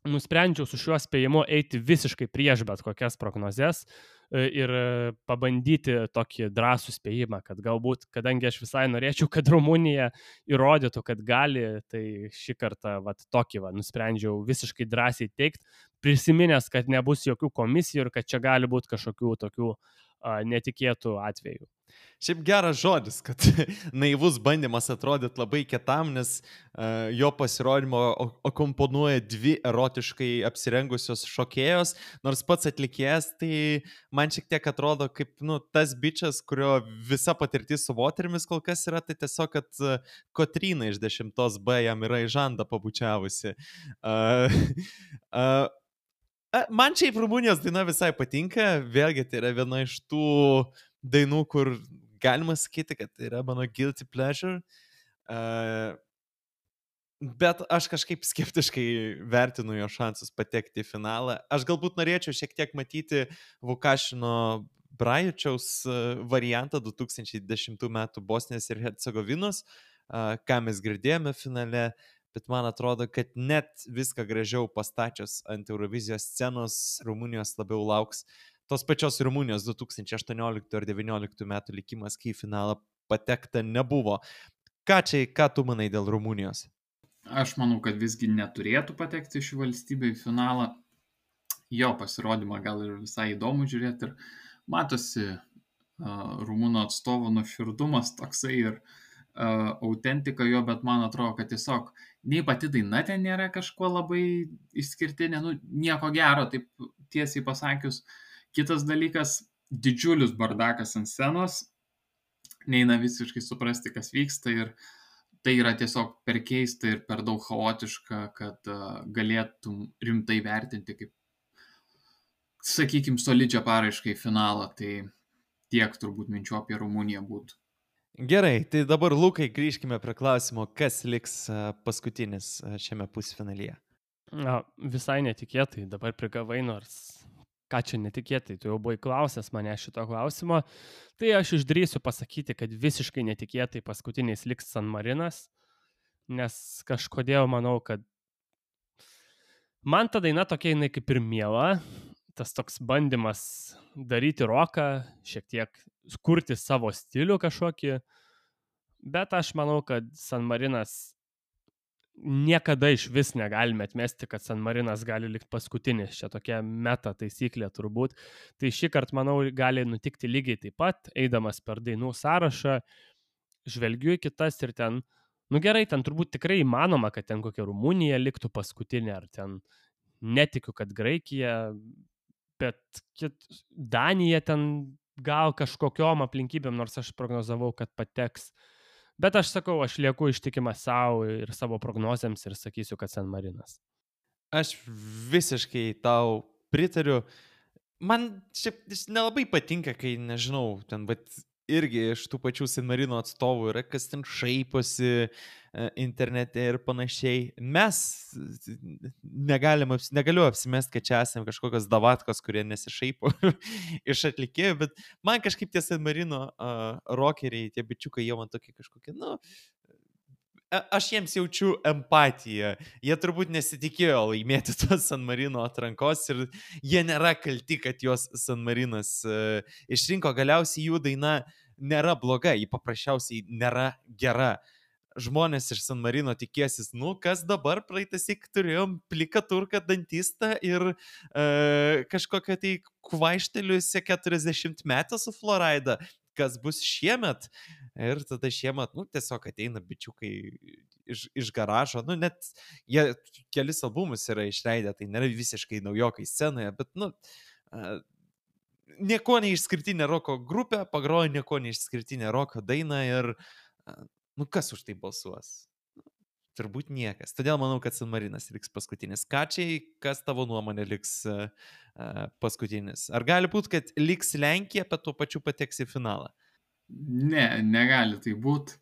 nusprendžiau su šiuo spėjimu eiti visiškai prieš bet kokias prognozes ir pabandyti tokį drąsų spėjimą, kad galbūt, kadangi aš visai norėčiau, kad Rumunija įrodytų, kad gali, tai šį kartą tokį nusprendžiau visiškai drąsiai teikti, prisiminęs, kad nebus jokių komisijų ir kad čia gali būti kažkokių tokių netikėtų atvejų. Šiaip geras žodis, kad naivus bandymas atrodyti labai kietam, nes jo pasirodymo akomponuoja dvi erotiškai apsirengusios šokėjos, nors pats atlikėjas, tai man šiek tiek atrodo kaip tas bičas, kurio visa patirtis su moterimis kol kas yra, tai tiesiog, kad Kotryna iš 10B jam yra į žandą pabučiavusi. Man šiaip Rumunijos daina visai patinka, vėlgi tai yra viena iš tų dainų, kur galima sakyti, kad tai yra mano guilty pleasure, bet aš kažkaip skeptiškai vertinu jo šansus patekti į finalą. Aš galbūt norėčiau šiek tiek matyti Vukašino Brajučiaus variantą 2010 metų Bosnijos ir Hercegovinos, ką mes girdėjome finale, bet man atrodo, kad net viską gražiau pastačius ant Eurovizijos scenos Rumunijos labiau lauks tos pačios Rumunijos 2018 ir 2019 metų likimas, kai į finalą patekta nebuvo. Ką tu manai dėl Rumunijos? Aš manau, kad visgi neturėtų patekti ši valstybė į finalą. Jo pasirodymą gal ir visai įdomu žiūrėti ir matosi Rumūno atstovo nuoširdumas toksai ir autentika jo, bet man atrodo, kad tiesiog nei pati daina ten nėra kažkuo labai išskirtinė, nieko gero, taip tiesiai pasakius. Kitas dalykas, didžiulis bardakas ant scenos, neina visiškai suprasti, kas vyksta ir tai yra tiesiog per keista ir per daug chaotiška, kad galėtum rimtai vertinti kaip, sakykime, solidžią paraišką į finalą, tai tiek turbūt minčių apie Rumuniją būtų. Gerai, tai dabar Lukai grįžkime prie klausimo, kas liks paskutinis šiame pusfinalyje. Visai netikėtai, dabar prigavai, nors ką čia netikėtai, tu jau buvai klausęs mane šito klausimo, tai aš išdrįsiu pasakyti, kad visiškai netikėtai paskutiniais liks San Marinas, nes kažkodėl manau, kad man ta daina tokia jinai kaip ir miela, tas toks bandymas daryti roką, šiek tiek kurti savo stilių kažkokį, bet aš manau, kad San Marinas niekada iš vis negalime atmesti, kad San Marinas gali likti paskutinis, čia tokia meta taisyklė turbūt. Tai šį kartą, manau, gali nutikti lygiai taip pat, eidamas per dainų sąrašą, žvelgiu į kitas ir ten, gerai, ten turbūt tikrai įmanoma, kad ten kokia Rumunija liktų paskutinė, ar ten netikiu, kad Graikija, bet Danija ten gal kažkokiom aplinkybėm, nors aš prognozavau, kad pateks. Bet aš sakau, aš lieku ištikimas savo ir savo prognozėms ir sakysiu, kad San Marinas. Aš visiškai tau pritariu. Man šiaip nelabai patinka, kai, nežinau, ten, bet irgi iš tų pačių San Marino atstovų yra, kas ten šaiposi internete ir panašiai. Mes negaliu apsimesti, kad čia esame kažkokios davatkos, kurie nesišaipo iš atlikėjų, bet man kažkaip tie San Marino rockeriai, tie bičiukai, jie man tokie kažkokie, aš jiems jaučiu empatiją. Jie turbūt nesitikėjo laimėti tos San Marino atrankos ir jie nėra kalti, kad jos San Marinas išrinko. Galiausiai jų daina nėra bloga, ji paprasčiausiai nėra gera. Žmonės iš San Marino tikėsis, kas dabar praeitasik turėjom pliką turką dantistą ir kažkokią tai kvaišteliusią 40 metą su Florida. Kas bus šiemet? Ir tada šiemet, tiesiog ateina bičiukai iš garažo, nu net jie kelis albumus yra išleidę, tai nėra visiškai naujokai scenoje, bet nieko neišskirtinė roko grupė, pagrojo nieko neišskirtinė roko daina ir kas už tai balsuos? Turbūt niekas. Todėl manau, kad San Marinas liks paskutinis. Kačiai, kas tavo nuomonė liks paskutinis? Ar gali būti, kad liks Lenkija, bet tuo pačiu pateks į finalą? Ne, negali tai būti.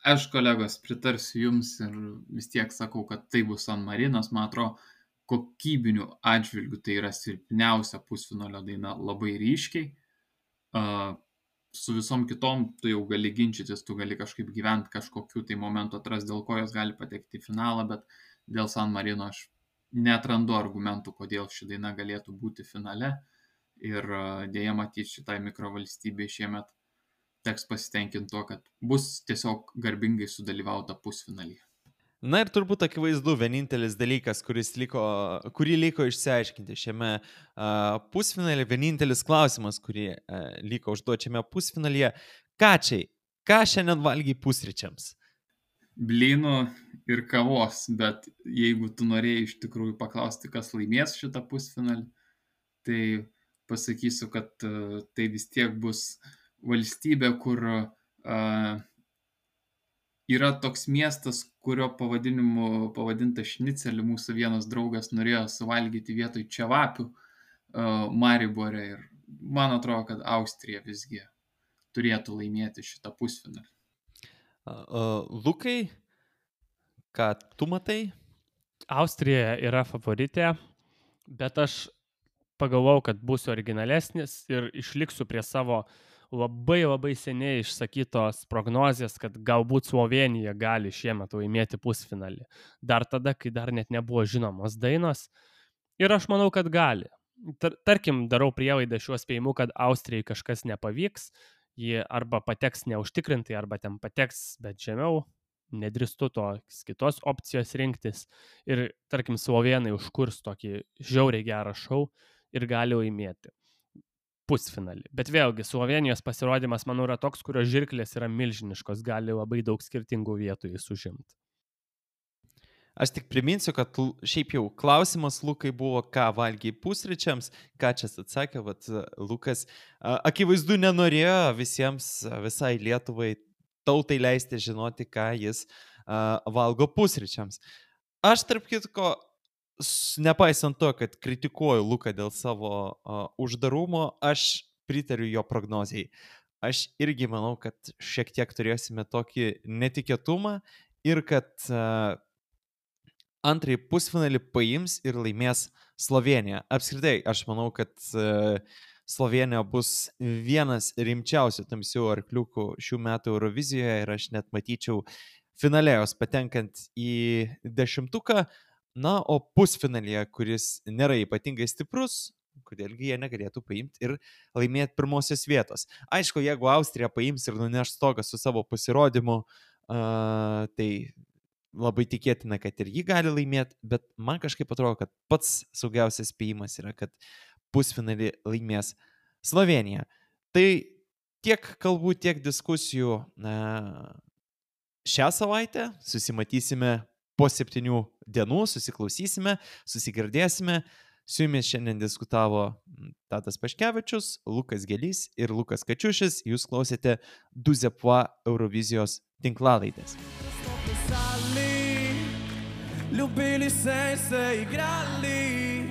Aš, kolegos, pritarsiu jums ir vis tiek sakau, kad tai bus San Marinas. Man atrodo, kokybinių atžvilgių tai yra silpniausia pusfinalio daina labai ryškiai. Su visom kitom tu jau gali ginčytis, tu gali kažkaip gyventi kažkokiu tai momentu atras, dėl ko jos gali patekti į finalą, bet dėl San Marino aš netrandu argumentų, kodėl ši daina galėtų būti finale ir dėja matyti šitai mikrovalstybei šiemet teks pasitenkinti tuo, kad bus tiesiog garbingai sudalyvauta pusfinalyje. Na ir turbūt akivaizdu, vienintelis dalykas, kurį liko išsiaiškinti šiame pusfinalyje, vienintelis klausimas, kurį liko užduoti šiame pusfinalyje. Kačiai, ką šiandien valgiai pusryčiams? Blynų ir kavos, bet jeigu tu norėjai iš tikrųjų paklausti, kas laimės šitą pusfinalį, tai pasakysiu, kad tai vis tiek bus valstybė, kur yra toks miestas, kurio pavadinimu pavadinta Šnicelį. Mūsų vienas draugas norėjo suvalgyti vietoj čevapių Maribore ir man atrodo, kad Austrija visgi turėtų laimėti šitą pusfinalį. Lukai, ką tu matai? Austrija yra favoritė, bet aš pagalvojau, kad būsiu originalesnis ir išliksiu prie savo labai seniai išsakytos prognozės, kad galbūt Slovenija gali šiemet laimėti pusfinalį. Dar tada, kai dar net nebuvo žinomos dainos. Ir aš manau, kad gali. Tarkim, darau prielaidą šiuo spėjimu, kad Austrijai kažkas nepavyks. Ji arba pateks neužtikrintai, arba ten pateks, bet žemiau. Nedrįstu tos kitos opcijos rinktis. Ir, tarkim, slovenai užkurs tokį žiauriai gerą šou ir gali laimėti pusfinalį. Bet vėlgi, Slovenijos pasirodymas, manau, yra toks, kurio žirklės yra milžiniškos, gali labai daug skirtingų vietų jis užimti. Aš tik priminsiu, kad šiaip jau klausimas Lukai buvo, ką valgiai pusryčiams, ką čia atsakė, vat Lukas akivaizdu nenorėjo visai Lietuvai tautai leisti žinoti, ką jis valgo pusryčiams. Aš tarp kitko, nepaisant to, kad kritikuoju Luką dėl savo uždarumo, aš pritariu jo prognozijai. Aš irgi manau, kad šiek tiek turėsime tokį netikėtumą ir kad antrąjį pusfinalį paims ir laimės Slovenija. Apskritai, aš manau, kad Slovenija bus vienas rimčiausių tamsių arkliukų šių metų Eurovizijoje ir aš net matyčiau finalėjos patenkant į 10. Na, o pusfinalyje, kuris nėra ypatingai stiprus, kodėlgi jie negalėtų paimti ir laimėti pirmosios vietos. Aišku, jeigu Austrija paims ir nuneš stogą su savo pasirodymu, tai labai tikėtina, kad ir jį gali laimėti, bet man kažkaip atrodo, kad pats saugiausias spėjimas yra, kad pusfinalį laimės Slovenija. Tai tiek kalbų, tiek diskusijų šią savaitę. Susimatysime po 7 dienų, susiklausysime, susigirdėsime. Su jumis šiandien diskutavo Tadas Paškevičius, Lukas Gelys ir Lukas Kačiušis. Jūs klausėte Douze Points Eurovizijos tinklalaidės. Ljubili se igrali,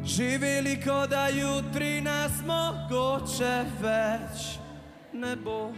živeli ko da jutri nas mogoče več ne bo.